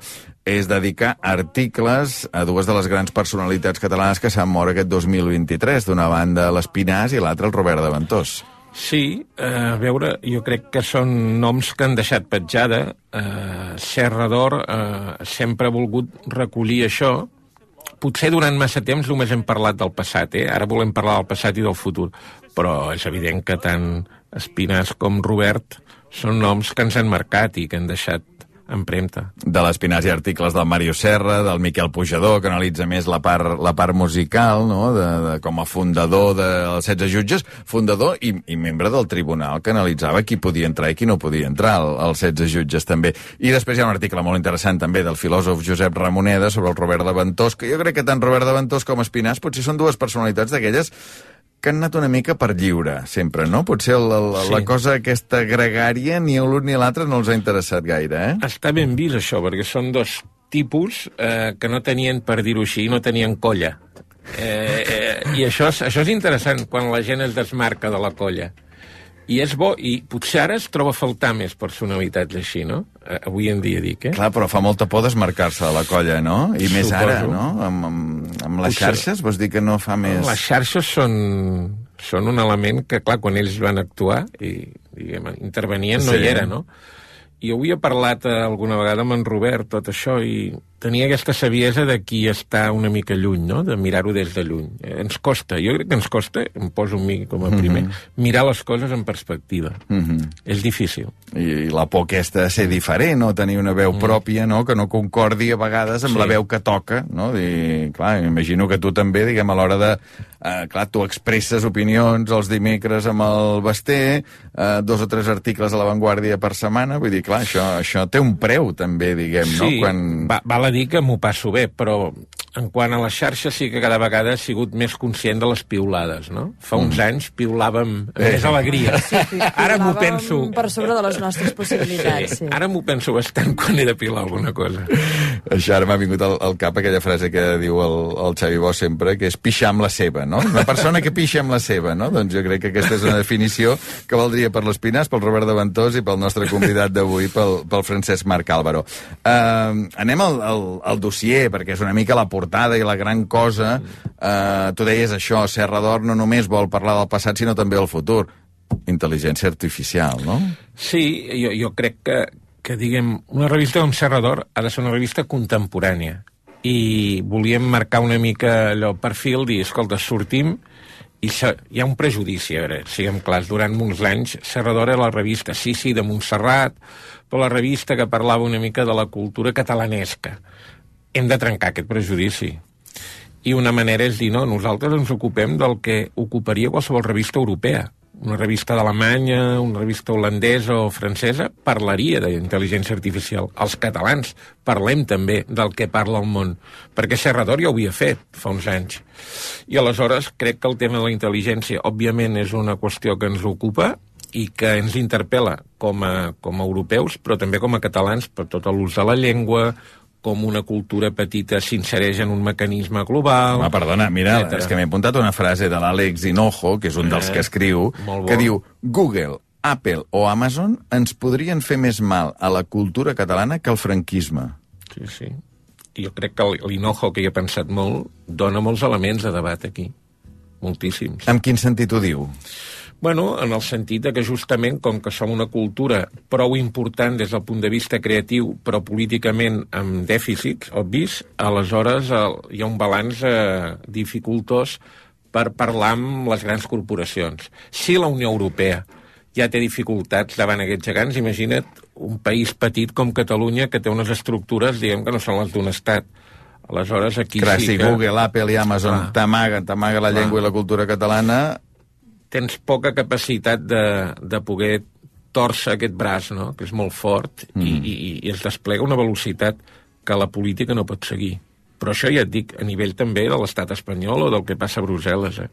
és dedicar articles a dues de les grans personalitats catalanes que s'han mort aquest dos mil vint-i-tres, d'una banda l'Espinàs i l'altra el Robert de Ventós. Sí, eh, a veure, jo crec que són noms que han deixat petjada. Eh, Serra d'Or eh, sempre ha volgut recollir això. Potser durant massa temps només hem parlat del passat, eh? Ara volem parlar del passat i del futur. Però és evident que tant Espinàs com Robert són noms que ens han marcat i que han deixat empremta. De l'Espinàs hi ha articles del Mario Serra, del Miquel Pujador, que analitza més la part, la part musical, no? de, de, com a fundador dels setze jutges, fundador i, i membre del tribunal, que analitzava qui podia entrar i qui no podia entrar, als setze jutges també. I després hi ha un article molt interessant també del filòsof Josep Ramoneda sobre el Robert de Ventós, que jo crec que tant Robert de Ventós com Espinàs potser són dues personalitats d'aquelles que han anat una mica per lliure, sempre, no? Potser la, la, sí. la cosa aquesta gregària ni l'un ni l'altre no els ha interessat gaire, eh? Està ben vist, això, perquè són dos tipus eh, que no tenien, per dir-ho així, no tenien colla. Eh, eh, I això és, això és interessant, quan la gent es desmarca de la colla. I és bo, i potser ara es troba a faltar més personalitats així, no? Eh, avui en dia dic, eh? Clar, però fa molta por desmarcar-se de la colla, no? I més Suposo. ara, no? Amb, amb, amb les Potser. xarxes, vols dir que no fa més... Les xarxes són, són un element que, clar, quan ells van actuar i, diguem, intervenien, no Sí. hi era, no? I jo havia parlat eh, alguna vegada amb en Robert tot això i tenia aquesta saviesa de qui està una mica lluny, no? De mirar-ho des de lluny. Eh, ens costa, jo crec que ens costa, em poso mi com a primer, mm -hmm. mirar les coses en perspectiva. Mm -hmm. És difícil. I, I la por aquesta de ser diferent, no? Tenir una veu mm. pròpia, no? Que no concordi a vegades amb Sí. la veu que toca, no? I, clar, imagino que tu també, diguem, a l'hora de... Eh, clar, tu expresses opinions els dimecres amb el Basté, eh, dos o tres articles a La Vanguardia per setmana, vull dir, clar, això, això té un preu també, diguem, Sí, no? Quan... va, val a dir que m'ho passo bé, però en quant a les xarxes sí que cada vegada he sigut més conscient de les piulades, no? Fa uns Mm. anys piulàvem amb Eh. més alegria. Sí, Ara m'ho pilàvem penso... per sobre de les nostres possibilitats, sí. Ara m'ho penso bastant quan he de pilar alguna cosa. Això ara m'ha vingut al, al cap aquella frase que diu el, el Xavi Bosch sempre, que és pixar amb la seva, no? Una persona que pixa amb la seva, no? Doncs jo crec que aquesta és una definició que valdria per l'Espinàs, pel Robert de Ventós i pel nostre convidat d'avui, pel, pel Francesc Marc Álvaro. Uh, anem al, al, al dossier, perquè és una mica la portada i la gran cosa. Uh, tu deies això, Serra d'Or no només vol parlar del passat, sinó també del futur. Intel·ligència artificial, no? Sí, jo, jo crec que, que, diguem, una revista com Serra d'Or ha de ser una revista contemporània. I volíem marcar una mica allò perfil, dir, escolta, sortim i se, hi ha un prejudici, a veure, siguem clars, durant molts anys Serra d'Or era la revista, sí, sí, de Montserrat, però la revista que parlava una mica de la cultura catalanesca. Hem de trencar aquest prejudici. I una manera és dir, no, nosaltres ens ocupem del que ocuparia qualsevol revista europea. Una revista d'Alemanya, una revista holandesa o francesa, parlaria d'intel·ligència artificial. Els catalans parlem també del que parla el món, perquè Serra d'Or ja ho havia fet fa uns anys. I aleshores crec que el tema de la intel·ligència, òbviament, és una qüestió que ens ocupa i que ens interpel·la com a, com a europeus, però també com a catalans, per tot l'ús de la llengua, com una cultura petita s'insereix en un mecanisme global... Home, perdona, mira, etcètera. és que m'he apuntat una frase de l'Àlex Hinojo, que és un dels Eh, que escriu, molt bo. que diu Google, Apple o Amazon ens podrien fer més mal a la cultura catalana que el franquisme. Sí, sí. Jo crec que l'Hinojo, que hi he pensat molt, dona molts elements de debat aquí. Moltíssims. En quin sentit ho diu? Bueno, en el sentit de que justament, com que som una cultura prou important des del punt de vista creatiu, però políticament amb dèficits obvis, aleshores el, hi ha un balanç eh, dificultós per parlar amb les grans corporacions. Si la Unió Europea ja té dificultats davant aquests gegants, imagina't un país petit com Catalunya que té unes estructures, diguem, que no són les d'un estat. Aleshores, aquí Clar, sí si que... Google, Apple i Amazon Clar. t'amaguen, t'amaga la Clar. llengua i la cultura catalana... Tens poca capacitat de, de poder tòrcer aquest braç, no?, que és molt fort, mm. i, i, i es desplega una velocitat que la política no pot seguir. Però això ja et dic, a nivell també de l'estat espanyol o del que passa a Brussel·les. Eh?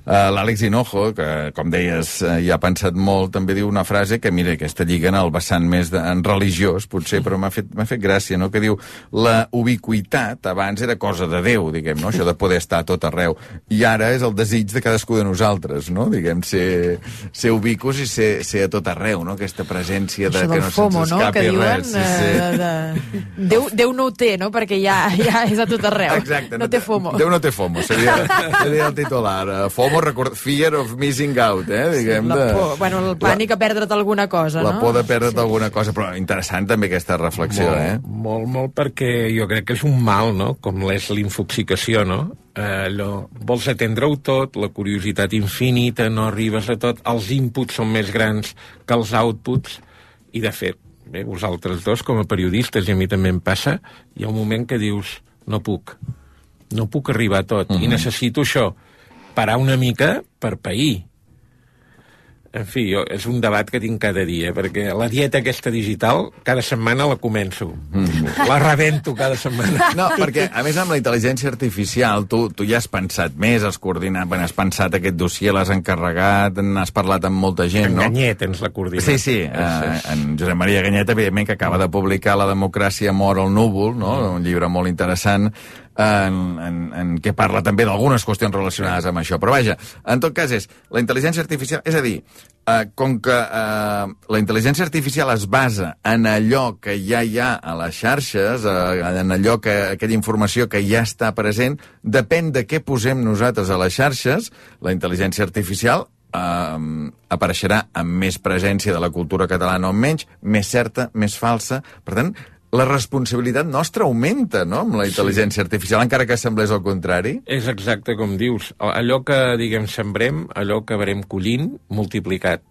Uh, L'Àlex Hinojo, que, com deies, uh, hi ha pensat molt, també diu una frase que, mira, aquesta lliga en el vessant més de, en religiós, potser, però m'ha fet, m'ha fet gràcia, no?, que diu la ubiquitat abans era cosa de Déu, diguem, no?, això de poder estar a tot arreu, i ara és el desig de cadascú de nosaltres, no?, diguem, ser, ser ubicus i ser, ser a tot arreu, no?, aquesta presència de Això que del no FOMO, se'ns no?, escapi que diuen, res. Sí, sí. eh, de, de... Déu, Déu no ho té, no?, perquè ja, ja és a tot arreu. Exacte, no té FOMO. Déu no té FOMO, seria, seria el titular. Uh, FOMO, record, fear of missing out, eh? Diguem, La de, por, bueno, el pànic la, a perdre't alguna cosa, la no? La por de perdre't sí. alguna cosa, però interessant també aquesta reflexió, molt, eh? Molt, molt, perquè jo crec que és un mal, no?, com és l'infoxicació, no? Eh, allò, vols atendre-ho tot, la curiositat infinita, no arribes a tot, els inputs són més grans que els outputs, i de fet, bé, vosaltres dos, com a periodistes, i a mi també em passa, hi ha un moment que dius, no puc, no puc arribar a tot, uh-huh. i necessito això, parar una mica per pair. En fi, jo, és un debat que tinc cada dia, perquè la dieta aquesta digital, cada setmana la començo. Mm. La rebento cada setmana. No, perquè, a més, amb la intel·ligència artificial, tu, tu ja has pensat més, has coordinat, bueno, has pensat aquest dossier, l'has encarregat, n'has parlat amb molta gent, en no? Ganyet ens la coordina. Sí, sí, eh, en Josep Maria Ganyet, evidentment, que acaba de publicar La democràcia mor al núvol, no?, un llibre molt interessant. en, en, en què parla també d'algunes qüestions relacionades amb això. Però vaja, en tot cas és la intel·ligència artificial, és a dir, eh, com que eh, la intel·ligència artificial es basa en allò que ja hi ha a les xarxes, eh, en allò que aquella informació que ja està present, depèn de què posem nosaltres a les xarxes, la intel·ligència artificial eh, apareixerà amb més presència de la cultura catalana o menys, més certa, més falsa. Per tant, la responsabilitat nostra augmenta, no?, amb la intel·ligència sí. artificial, encara que semblés el contrari. És exacte com dius. Allò que, diguem, sembrem, allò que acabarem collint, multiplicat.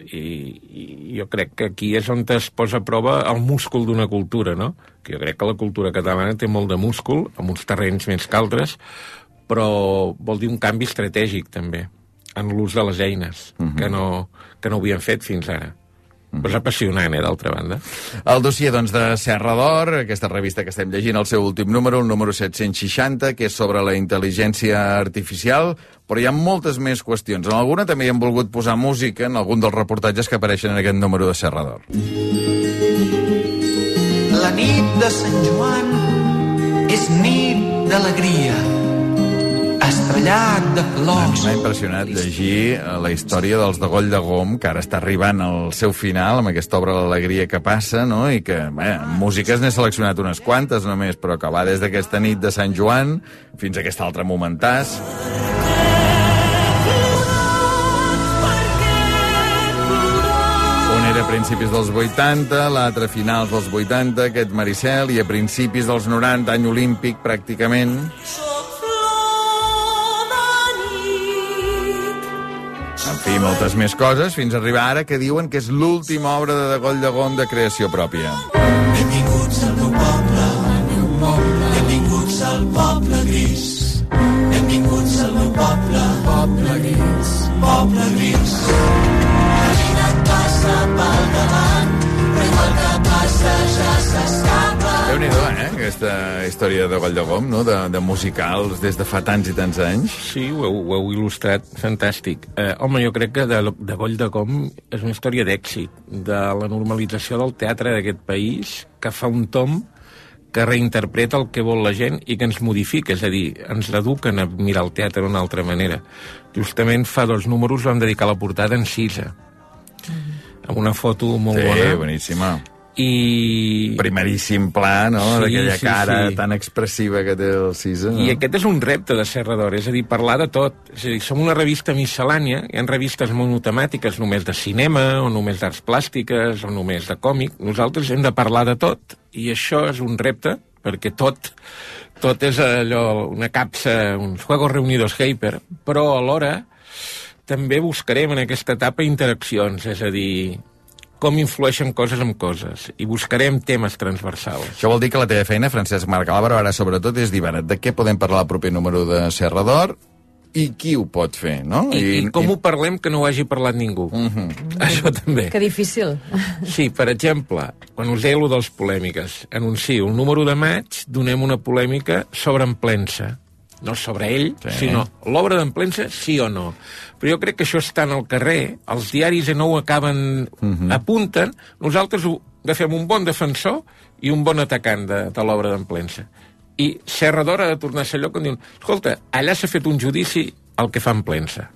I, I jo crec que aquí és on es posa a prova el múscul d'una cultura, no? Que jo crec que la cultura catalana té molt de múscul, amb uns terrenys més que altres, però vol dir un canvi estratègic, també, en l'ús de les eines, uh-huh. que, no, que no ho havien fet fins ara. Però és apassionant, eh, d'altra banda. El dossier, doncs, de Serra d'Or, aquesta revista que estem llegint, el seu últim número, el número set-cents seixanta, que és sobre la intel·ligència artificial, però hi ha moltes més qüestions. En alguna també hi hem volgut posar música en algun dels reportatges que apareixen en aquest número de Serra d'Or. La nit de Sant Joan és nit d'alegria, estrellat de flors. M'ha impressionat llegir la història dels de Goll de Gom, que ara està arribant al seu final, amb aquesta obra L'alegria que passa, no?, i que, bé, en músiques n'he seleccionat unes quantes només, però que va des d'aquesta nit de Sant Joan fins a aquest altre momentàs. Un era a principis dels vuitanta, l'altre a finals dels vuitanta, aquest Maricel, i a principis dels noranta, any olímpic, pràcticament. En fi, moltes més coses, fins a arribar ara que diuen que és l'última obra de Goll de Gom de creació pròpia. Benvinguts al meu poble, al meu poble. Benvinguts al poble gris. Benvinguts al meu poble, poble gris. Poble gris. La vida et passa pel davant, però igual que passa ja s'escapa. Déu-n'hi-do, eh, aquesta història de Goll de Gom, no?, de, de musicals des de fa tants i tants anys. Sí, ho heu, ho heu il·lustrat, fantàstic. Eh, home, jo crec que de, de Goll de Gom és una història d'èxit, de la normalització del teatre d'aquest país, que fa un tom que reinterpreta el que vol la gent i que ens modifica, és a dir, ens eduquen a mirar el teatre d'una altra manera. Justament fa dos números vam dedicar la portada en Cisa, amb una foto molt sí, bona. Sí, boníssima. I... primeríssim pla, no?, sí, d'aquella sí, cara sí. tan expressiva que té el Cisa. No? I aquest és un repte de Serra d'Or, és a dir, parlar de tot. És a dir, som una revista miscel·lània, hi ha revistes monotemàtiques només de cinema, o només d'arts plàstiques, o només de còmic. Nosaltres hem de parlar de tot, i això és un repte, perquè tot, tot és allò, una capsa, uns juegos reunidos hyper, però alhora també buscarem en aquesta etapa interaccions, és a dir, com influeixen coses amb coses, i buscarem temes transversals. Això vol dir que la teva feina, Francesc Marc Álvaro, ara sobretot és dir, de què podem parlar al proper número de Serra d'Or i qui ho pot fer, no? I, I, i com i... ho parlem que no ho hagi parlat ningú. Uh-huh. Això també. Que difícil. Sí, per exemple, quan us deia allò dels polèmiques, anuncio el número de maig, donem una polèmica sobre Emplença. No sobre ell, sí. sinó l'obra d'Emplença, sí o no. Però jo crec que això està en el carrer, els diaris no ho acaben, uh-huh. apunten, nosaltres ho agafem un bon defensor i un bon atacant de, de l'obra d'Emplença. I Serra d'Or ha de tornar a ser allò que diuen, escolta, allà s'ha fet un judici al que fa Emplença.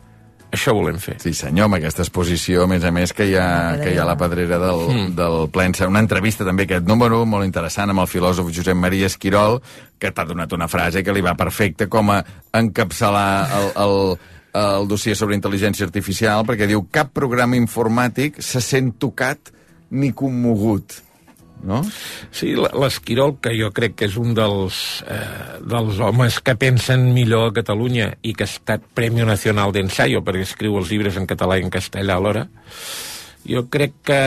Això volem fer. Sí, senyor, amb aquesta exposició, a més a més, que hi ha, que hi ha la pedrera del, mm. del Plensa. Una entrevista també, aquest número, molt interessant, amb el filòsof Josep Maria Esquirol, que t'ha donat una frase que li va perfecta com a encapçalar el, el, el dossier sobre intel·ligència artificial, perquè diu, cap programa informàtic se sent tocat ni commogut. No? Sí, l'Esquirol, que jo crec que és un dels, eh, dels homes que pensen millor a Catalunya i que ha estat Premi Nacional d'Ensayo, perquè escriu els llibres en català i en castellà alhora, jo crec que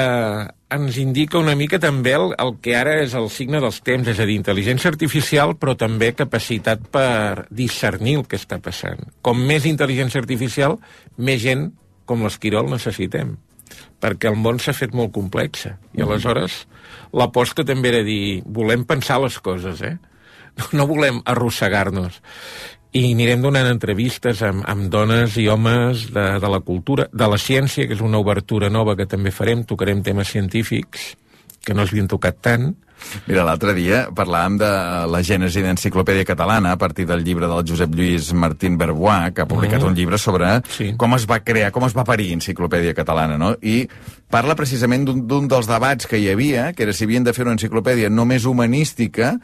ens indica una mica també el, el que ara és el signe dels temps, és a dir, intel·ligència artificial, però també capacitat per discernir el que està passant. Com més intel·ligència artificial, més gent com l'Esquirol necessitem, perquè el món s'ha fet molt complex, i aleshores l'aposta també era dir, volem pensar les coses, eh? No, no volem arrossegar-nos. I anirem donant entrevistes amb, amb dones i homes de, de la cultura, de la ciència, que és una obertura nova que també farem, tocarem temes científics, que no s'havien tocat tant, Mira, l'altre dia parlàvem de la gènesi d'Enciclopèdia Catalana a partir del llibre del Josep Lluís Martín Berbois, que ha publicat Mm. un llibre sobre Sí. com es va crear, com es va parir Enciclopèdia Catalana, no? I parla precisament d'un d'un dels debats que hi havia, que era si havien de fer una enciclopèdia només humanística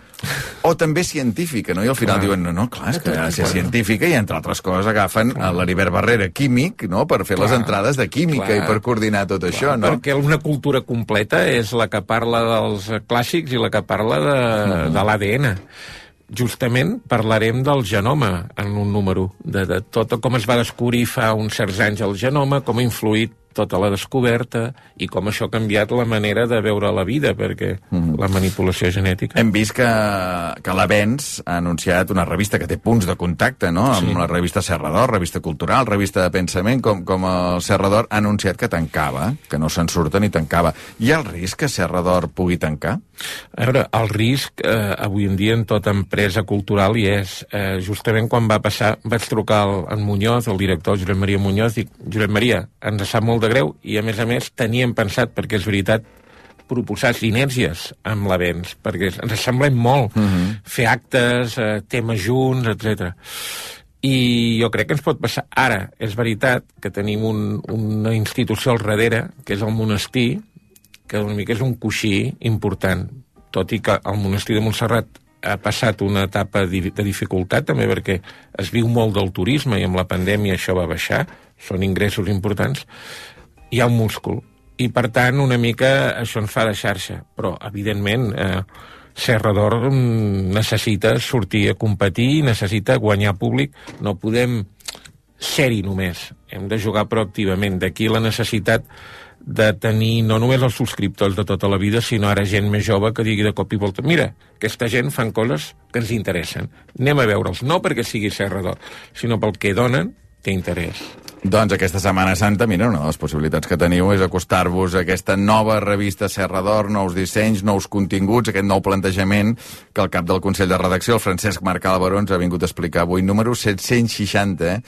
o també científica, no? I al final Clar. diuen, no, no, clar, és que ha de ser científica i, entre altres coses, agafen a l'Heribert Barrera, químic, no?, per fer Clar. les entrades de química Clar. i per coordinar tot això, no? Perquè una cultura completa és la que parla dels clàssics i la que parla de, Mm-hmm. de l'A D N. Justament parlarem del genoma en un número, de, de tot com es va descobrir fa uns certs anys el genoma, com ha influït tota la descoberta i com això ha canviat la manera de veure la vida, perquè Mm-hmm. la manipulació genètica... Hem vist que, que l'Avenç ha anunciat una revista que té punts de contacte, no?, amb Sí. la revista Serra d'Or, revista cultural, revista de pensament, com, com el Serra d'Or ha anunciat que tancava, que no se'n surta ni tancava. Hi ha el risc que Serra d'Or pugui tancar? A veure, el risc eh, avui en dia en tota empresa cultural hi és. Eh, justament quan va passar, vaig trucar al, en Muñoz, el director Josep Maria Muñoz, i dic, Josep Maria, ens sap molt de greu i a més a més teníem pensat, perquè és veritat, proposar sinèrgies amb l'Avenç, perquè ens semblem molt Mm-hmm. fer actes, eh, temes junts, etcètera. I jo crec que ens pot passar. Ara, és veritat que tenim un, una institució al darrere, que és el monestir, que una mica és un coixí important, tot i que el monestir de Montserrat ha passat una etapa de dificultat també perquè es viu molt del turisme i amb la pandèmia això va baixar, són ingressos importants, hi ha un múscul i per tant una mica això ens fa de xarxa, però evidentment eh, Serra d'Or necessita sortir a competir, necessita guanyar públic, no podem ser-hi només, hem de jugar proactivament, d'aquí la necessitat de tenir no només els subscriptors de tota la vida, sinó ara gent més jove que digui de cop i volta, mira, aquesta gent fan coses que ens interessen, anem a veure'ls, no perquè sigui Serra d'Or, sinó pel que donen, té interès. Doncs aquesta Setmana Santa, mira, una de les possibilitats que teniu és acostar-vos a aquesta nova revista Serra d'Or, nous dissenys, nous continguts, aquest nou plantejament que el cap del Consell de Redacció, el Francesc Marc Álvaro, ens ha vingut a explicar avui. Número set-cents seixanta, eh?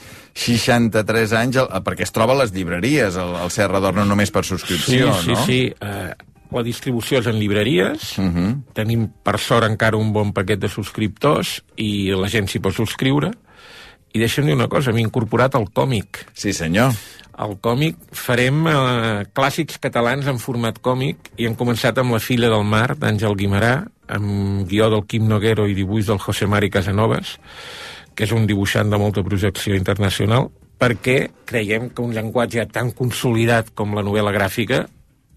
seixanta-tres anys, el, perquè es troba a les llibreries, el, el Serra d'Or, no només per subscripció, sí, sí, no? Sí, sí, uh, la distribució és en llibreries, Uh -huh. tenim per sort encara un bon paquet de subscriptors i la gent s'hi pot subscriure. I deixa'm dir una cosa, hem incorporat el còmic. Sí, senyor. El còmic, farem eh, clàssics catalans en format còmic i hem començat amb La filla del mar, d'Àngel Guimarà, amb guió del Quim Noguero i dibuix del José Mari Casanovas, que és un dibuixant de molta projecció internacional, perquè creiem que un llenguatge tan consolidat com la novel·la gràfica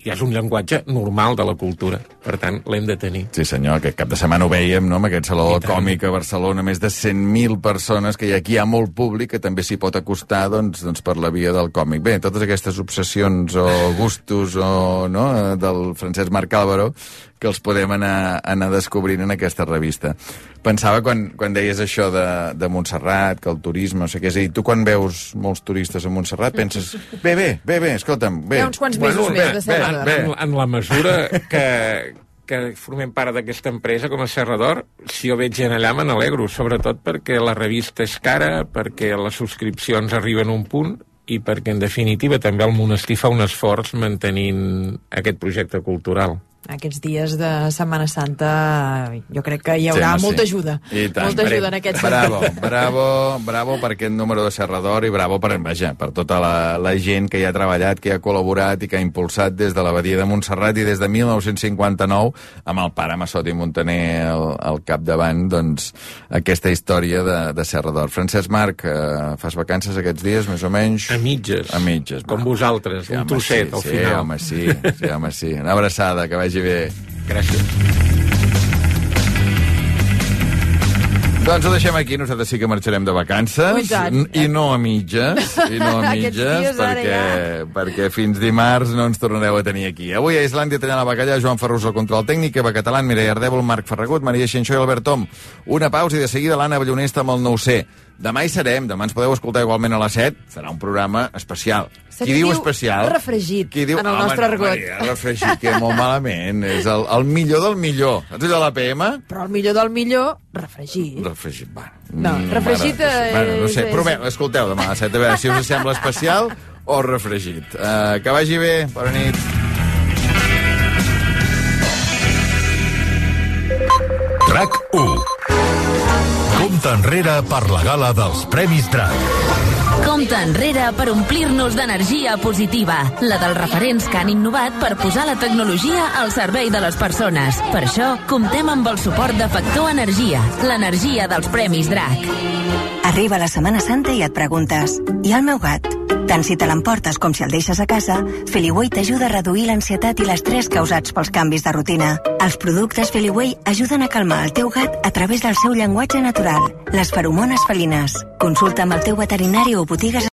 ja és un llenguatge normal de la cultura. Per tant, l'hem de tenir. Sí, senyor, aquest cap de setmana ho vèiem, no?, amb aquest saló còmic a Barcelona, més de cent mil persones, que hi ha, aquí hi ha molt públic que també s'hi pot acostar, doncs, doncs, per la via del còmic. Bé, totes aquestes obsessions o gustos o, no, del Francesc Marc Álvaro, que els podem anar, anar descobrint en aquesta revista. Pensava, quan, quan deies això de, de Montserrat, que el turisme, no sé què, és a dir, tu quan veus molts turistes a Montserrat penses, bé, bé, bé, bé, escolta'm, bé. Hi ha uns quants mesos Bueno, més bé, de Serra bé, d'Or. bé. En, en la mesura que, que formem part d'aquesta empresa com a Serra d'Or, si jo veig gent allà me n'alegro, sobretot perquè la revista és cara, perquè les subscripcions arriben a un punt i perquè, en definitiva, també el monestir fa un esforç mantenint aquest projecte cultural. Aquests dies de Setmana Santa jo crec que hi haurà Sí, home, molta sí. ajuda. I tant. Molta ajuda en aquest Bravo, sentit. bravo, bravo per aquest número de Serra d'Or i bravo per, vaja, per tota la, la gent que hi ha treballat, que hi ha col·laborat i que ha impulsat des de l'abadia de Montserrat i des de mil nou-cents cinquanta-nou, amb el pare Massot i Montaner al, al capdavant, doncs, aquesta història de, de Serra d'Or. Francesc Marc, eh, fas vacances aquests dies, més o menys? A mitges. A mitges. Com vosaltres, Sí, un home, trosset sí, al sí, final. home, sí, sí, home, sí. Una abraçada, que vagi bé. Gràcies. Doncs ho deixem aquí, nosaltres sí que marxarem de vacances, Oh, i tant. i no a mitges, i no a Aquests mitges, dies ara perquè, perquè fins dimarts no ens tornareu a tenir aquí. Avui a Islàndia tallant la bacallà, Joan Ferrus al control tècnic, Eva Catalán, Mireia Ardèvol, Marc Ferragut, Maria Xinxó i Albert Tom. Una pausa i de seguida l'Anna Ballonesta amb el nou C. Demà hi serem, demà ens podeu escoltar igualment a les set, serà un programa especial. Se Qui diu diu especial? refregit, Qui diu, en el home, nostre no, argot. Maria, refregit, que molt malament. És el, el millor del millor. Saps allò de l'A P M? Però el millor del millor, refregit. Refregit, va. No, Mm, refregit mare, bueno, no sé, és- proveu, escolteu demà a les set, a veure si us sembla especial o refregit. Uh, que vagi bé, bona nit. RAC u. Compte enrere per la gala dels Premis DRAC. Compte enrere per omplir-nos d'energia positiva, la dels referents que han innovat per posar la tecnologia al servei de les persones. Per això, comptem amb el suport de Factor Energia, l'energia dels Premis DRAC. Arriba la Setmana Santa i et preguntes, i el meu gat? Tant si te l'emportes com si el deixes a casa, Feliway t'ajuda a reduir l'ansietat i l'estrès causats pels canvis de rutina. Els productes Feliway ajuden a calmar el teu gat a través del seu llenguatge natural, les feromones felines. Consulta amb el teu veterinari o botigues